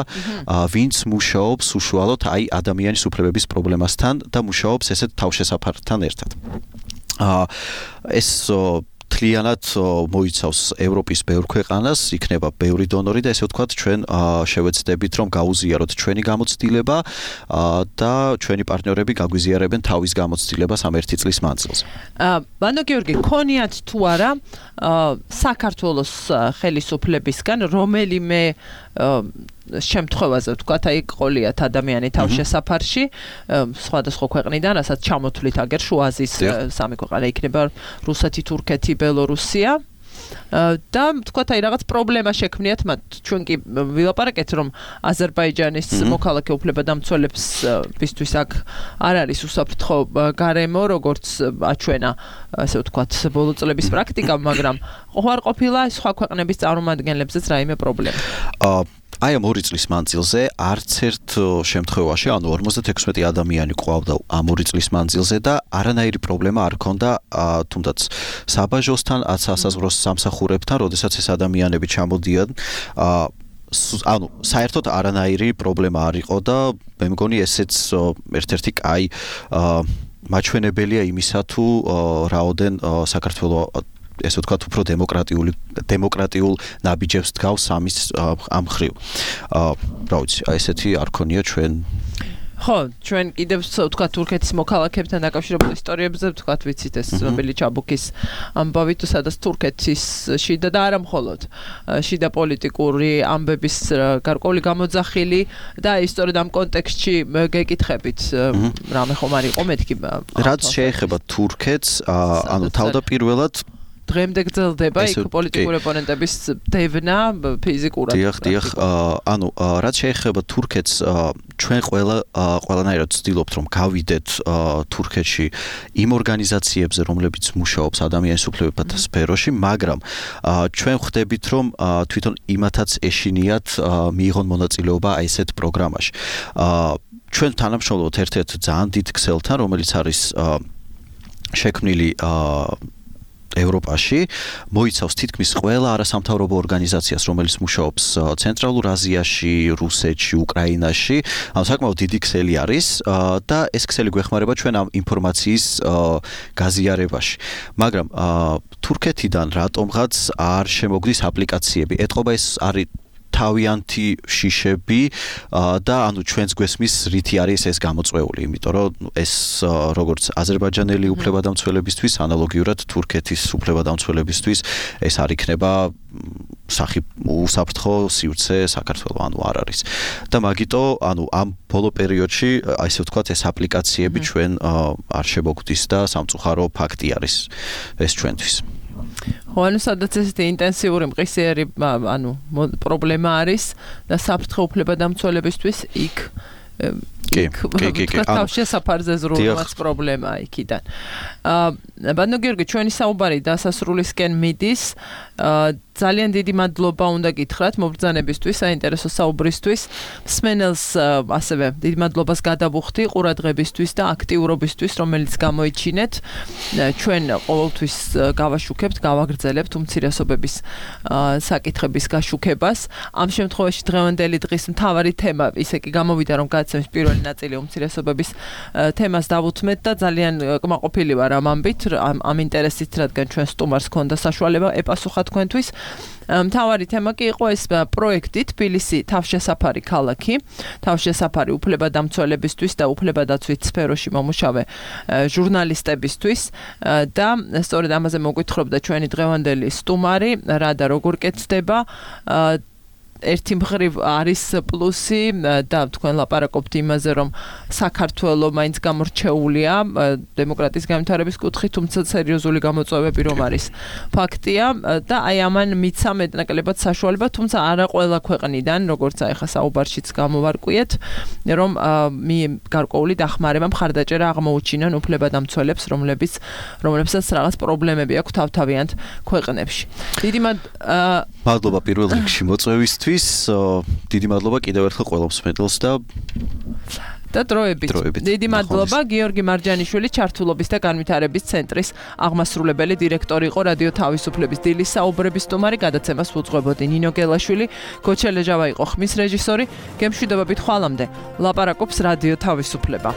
ვინც მუშაობს უშუალოდ აი ადამიანის უფლებების პრობლემასთან და მუშაობს ესეთ თავშესაფართან ერთად. ეს თლიანად მოიცავს ევროპის ბევრ ქვეყანას, იქნება ბევრი დონორი და ესე ვთქვათ, ჩვენ შევეცდებით, რომ გაუზიაროთ ჩვენი გამოცდილება და ჩვენი პარტნიორები გაგვიზიარებენ თავის გამოცდილებას ამ ერთი წლის მანძილზე. ბანო გიორგი, ქონიათ თუ არა საქართველოს ხელისუფლებისგან რომელიმე შემთხვევაზე ვთქვათ, აი ყოლიათ ადამიანი თავშესაფარში სხვადასხვა ქვეყნიდან, რასაც ჩამოთვლით აგერ შუა აზიის სამი ქვეყანა იქნება რუსეთი, თურქეთი, ბელორუსია და ვთქვათ, აი რაღაც პრობლემა შექმნიათ მათ. ჩვენ კი ვილაპარაკეთ, რომ აზერბაიჯანის მოქალაქე უფლებადამცველებისთვის აქ არ არის უსაფრთხო გარემო, როგორც აჩვენა, ასე ვთქვათ, ბოლო წლების პრაქტიკა, მაგრამ არ ყოფილა სხვა ქვეყნების წარმომადგენლებზეც რაიმე პრობლემა. აი ამ ორი წლის მანძილზე არც ერთ შემთხვევაში, ანუ ორმოცდათექვსმეტი ადამიანი ყავდა ამ ორი წლის მანძილზე და არანაირი პრობლემა არ ჰქონდა თუნდაც საბაჟოსთან, ასასაზღვრო სამსახურებთან, როდესაც ეს ადამიანები ჩამოდიან, ანუ საერთოდ არანაირი პრობლემა არ იყო და მე მგონი ესეც ერთ-ერთი კაი მაჩვენებელია იმისა, თუ რაოდენ საქართველოს ესე ვთქვათ, უფრო დემოკრატიული დემოკრატიულ ნაბიჯებს დგავს ამის ამ ხრივ. რა ვიცი, აი ესეთი არ ქონია ჩვენ. ხო, ჩვენ კიდევ ვთქვათ, თურქეთის მოქალაქეებთან დაკავშირებულ ისტორიებზე ვთქვათ, ვიცით ეს ცნობილი ჩაბუქის ამბავი, თუ სადაც თურქეთის შიდა და არა მხოლოდ შიდა პოლიტიკური ამბების გარკვეული გამოძახილი და ისტორიად ამ კონტექსტში გეკითხებით, რამე ხომ არ იყო მეთქი. რაც შეეხება თურქეთს, ანუ თავდაპირველად დღემდე გრძელდება იქ პოლიტიკური ოპონენტების დევნა ფიზიკურად. დიახ, დიახ, ანუ რაც შეეხება თურქეთს, ჩვენ ყველა ყველანაირად ვცდილობთ, რომ გავიდეთ თურქეთში იმ ორგანიზაციებზე, რომლებიც მუშაობს ადამიანის უფლებათა სფეროში, მაგრამ ჩვენ ხვდებით, რომ თვითონ იმათაც ეშინიათ მიიღონ მონაწილეობა აი ესეთ პროგრამაში. ჩვენ თანამშრომლობთ ერთ-ერთ ძალიან დიდ ქსელთან, რომელიც არის შექმნილი ევროპაში, მოიცავს თითქმის ყველა არასამთავრობო ორგანიზაციას, რომელიც მუშაობს ცენტრალურ აზიაში, რუსეთში, უკრაინაში. ანუ საკმაოდ დიდი ქსელი არის და ეს ქსელი გვეხმარება ჩვენ ამ ინფორმაციის გაზიარებაში. მაგრამ თურქეთიდან რატომღაც არ შემოგდის აპლიკაციები. ეთყობა ეს არის თავიანთი შიშები და ანუ ჩვენს გვესმის რითი არის ეს გამოწვეული, იმიტომ რომ ეს როგორც აზერბაიჯანელი უფლებადამცველებისთვის, ანალოგიურად თურქეთის უფლებადამცველებისთვის ეს არ იქნება სახი უსაფრთხო სივრცე საქართველოს ანუ არ არის. და მაგიტო ანუ ამ ბოლო პერიოდში ასე ვთქვათ ეს აპლიკაციები ჩვენ არ შემოგვდის და სამწუხარო ფაქტი არის ეს ჩვენთვის. ხო, ანუ სადაც ესეთი ინტენსიური მყისიერი ანუ პრობლემა არის და საფრთხე უფლებადამცველებისთვის იქ კი, კი, კი, კი. თავში საფარზე ზრუნვაც პრობლემაა იქიდან. აა ბატონო გიორგი, ჩვენი საუბარი დასასრულისკენ მიდის. აა ძალიან დიდი მადლობა უნდა გითხრათ მობრძანებისთვის, საინტერესო საუბრისთვის. მსმენელს ასევე დიდი მადლობას გადავუხდი ყურადღებისთვის და აქტიურობისთვის, რომელიც გამოიჩინეთ. ჩვენ ყოველთვის გავაშუქებთ, გავაგრძელებთ უმცირესობების საკითხების გაშუქებას. ამ შემთხვევაში დღევანდელი დღის მთავარი თემა ისე კი გამოვიდა, რომ გადაცემის პირველი ნაწილი უმცირესობების თემას დავუთმეთ და ძალიან კმაყოფილი ვარ ამ ამბით, ამ, ამ ინტერესით, რადგან ჩვენ სტუმარს ჰქონდა საშუალება ეპასუხა თქვენთვის. მთავარი თემა კი იყო ეს პროექტი თბილისი თავშესაფარი ქალაქი, თავშესაფარი უფლებადამცველებისთვის და უფლებადაცვის სფეროში მომუშავე ჟურნალისტებისთვის და სწორედ ამაზე მოგვითხრობდა ჩვენი დღევანდელი სტუმარი, რა და როგორ კეთდება. ერთი მხრივ არის პლუსი და თქვენ ლაპარაკობთ იმაზე, რომ საქართველოს მაინც გამორჩეულია დემოკრატიის განვითარების კუთხით, თუმცა სერიოზული გამოწვევები რომ არის ფაქტია და აი ამან მიცა მეტნაკლებად საშუალება, თუმცა არა ყველა ქვეყნიდან, როგორც აი ხა საუბარშიც გამოვარკვიეთ, რომ მი გარკვეული დახმარება მხარდაჭერა აღმოუჩინონ უფლებადამცველებს, რომლებიც რომლებსაც რაღაც პრობლემები აქვს თავთავიანთ ქვეყნებში. დიდი მადლობა პირველ რიგში მოწვევისთვის. დიდი მადლობა კიდევ ერთხელ ყველა მსმენელს და და დროებით. დიდი მადლობა გიორგი მარჯანიშვილი, ჩართულობის და განვითარების ცენტრის აღმასრულებელი დირექტორი იყო, რადიო თავისუფლების დილის საუბრების სტუმარი, გადაცემას უძღვებოდი ნინო გელაშვილი, გოჩელეჟავა იყო ხმის რეჟისორი. გემშვიდობებით ხვალამდე. ლაპარაკობს რადიო თავისუფლება.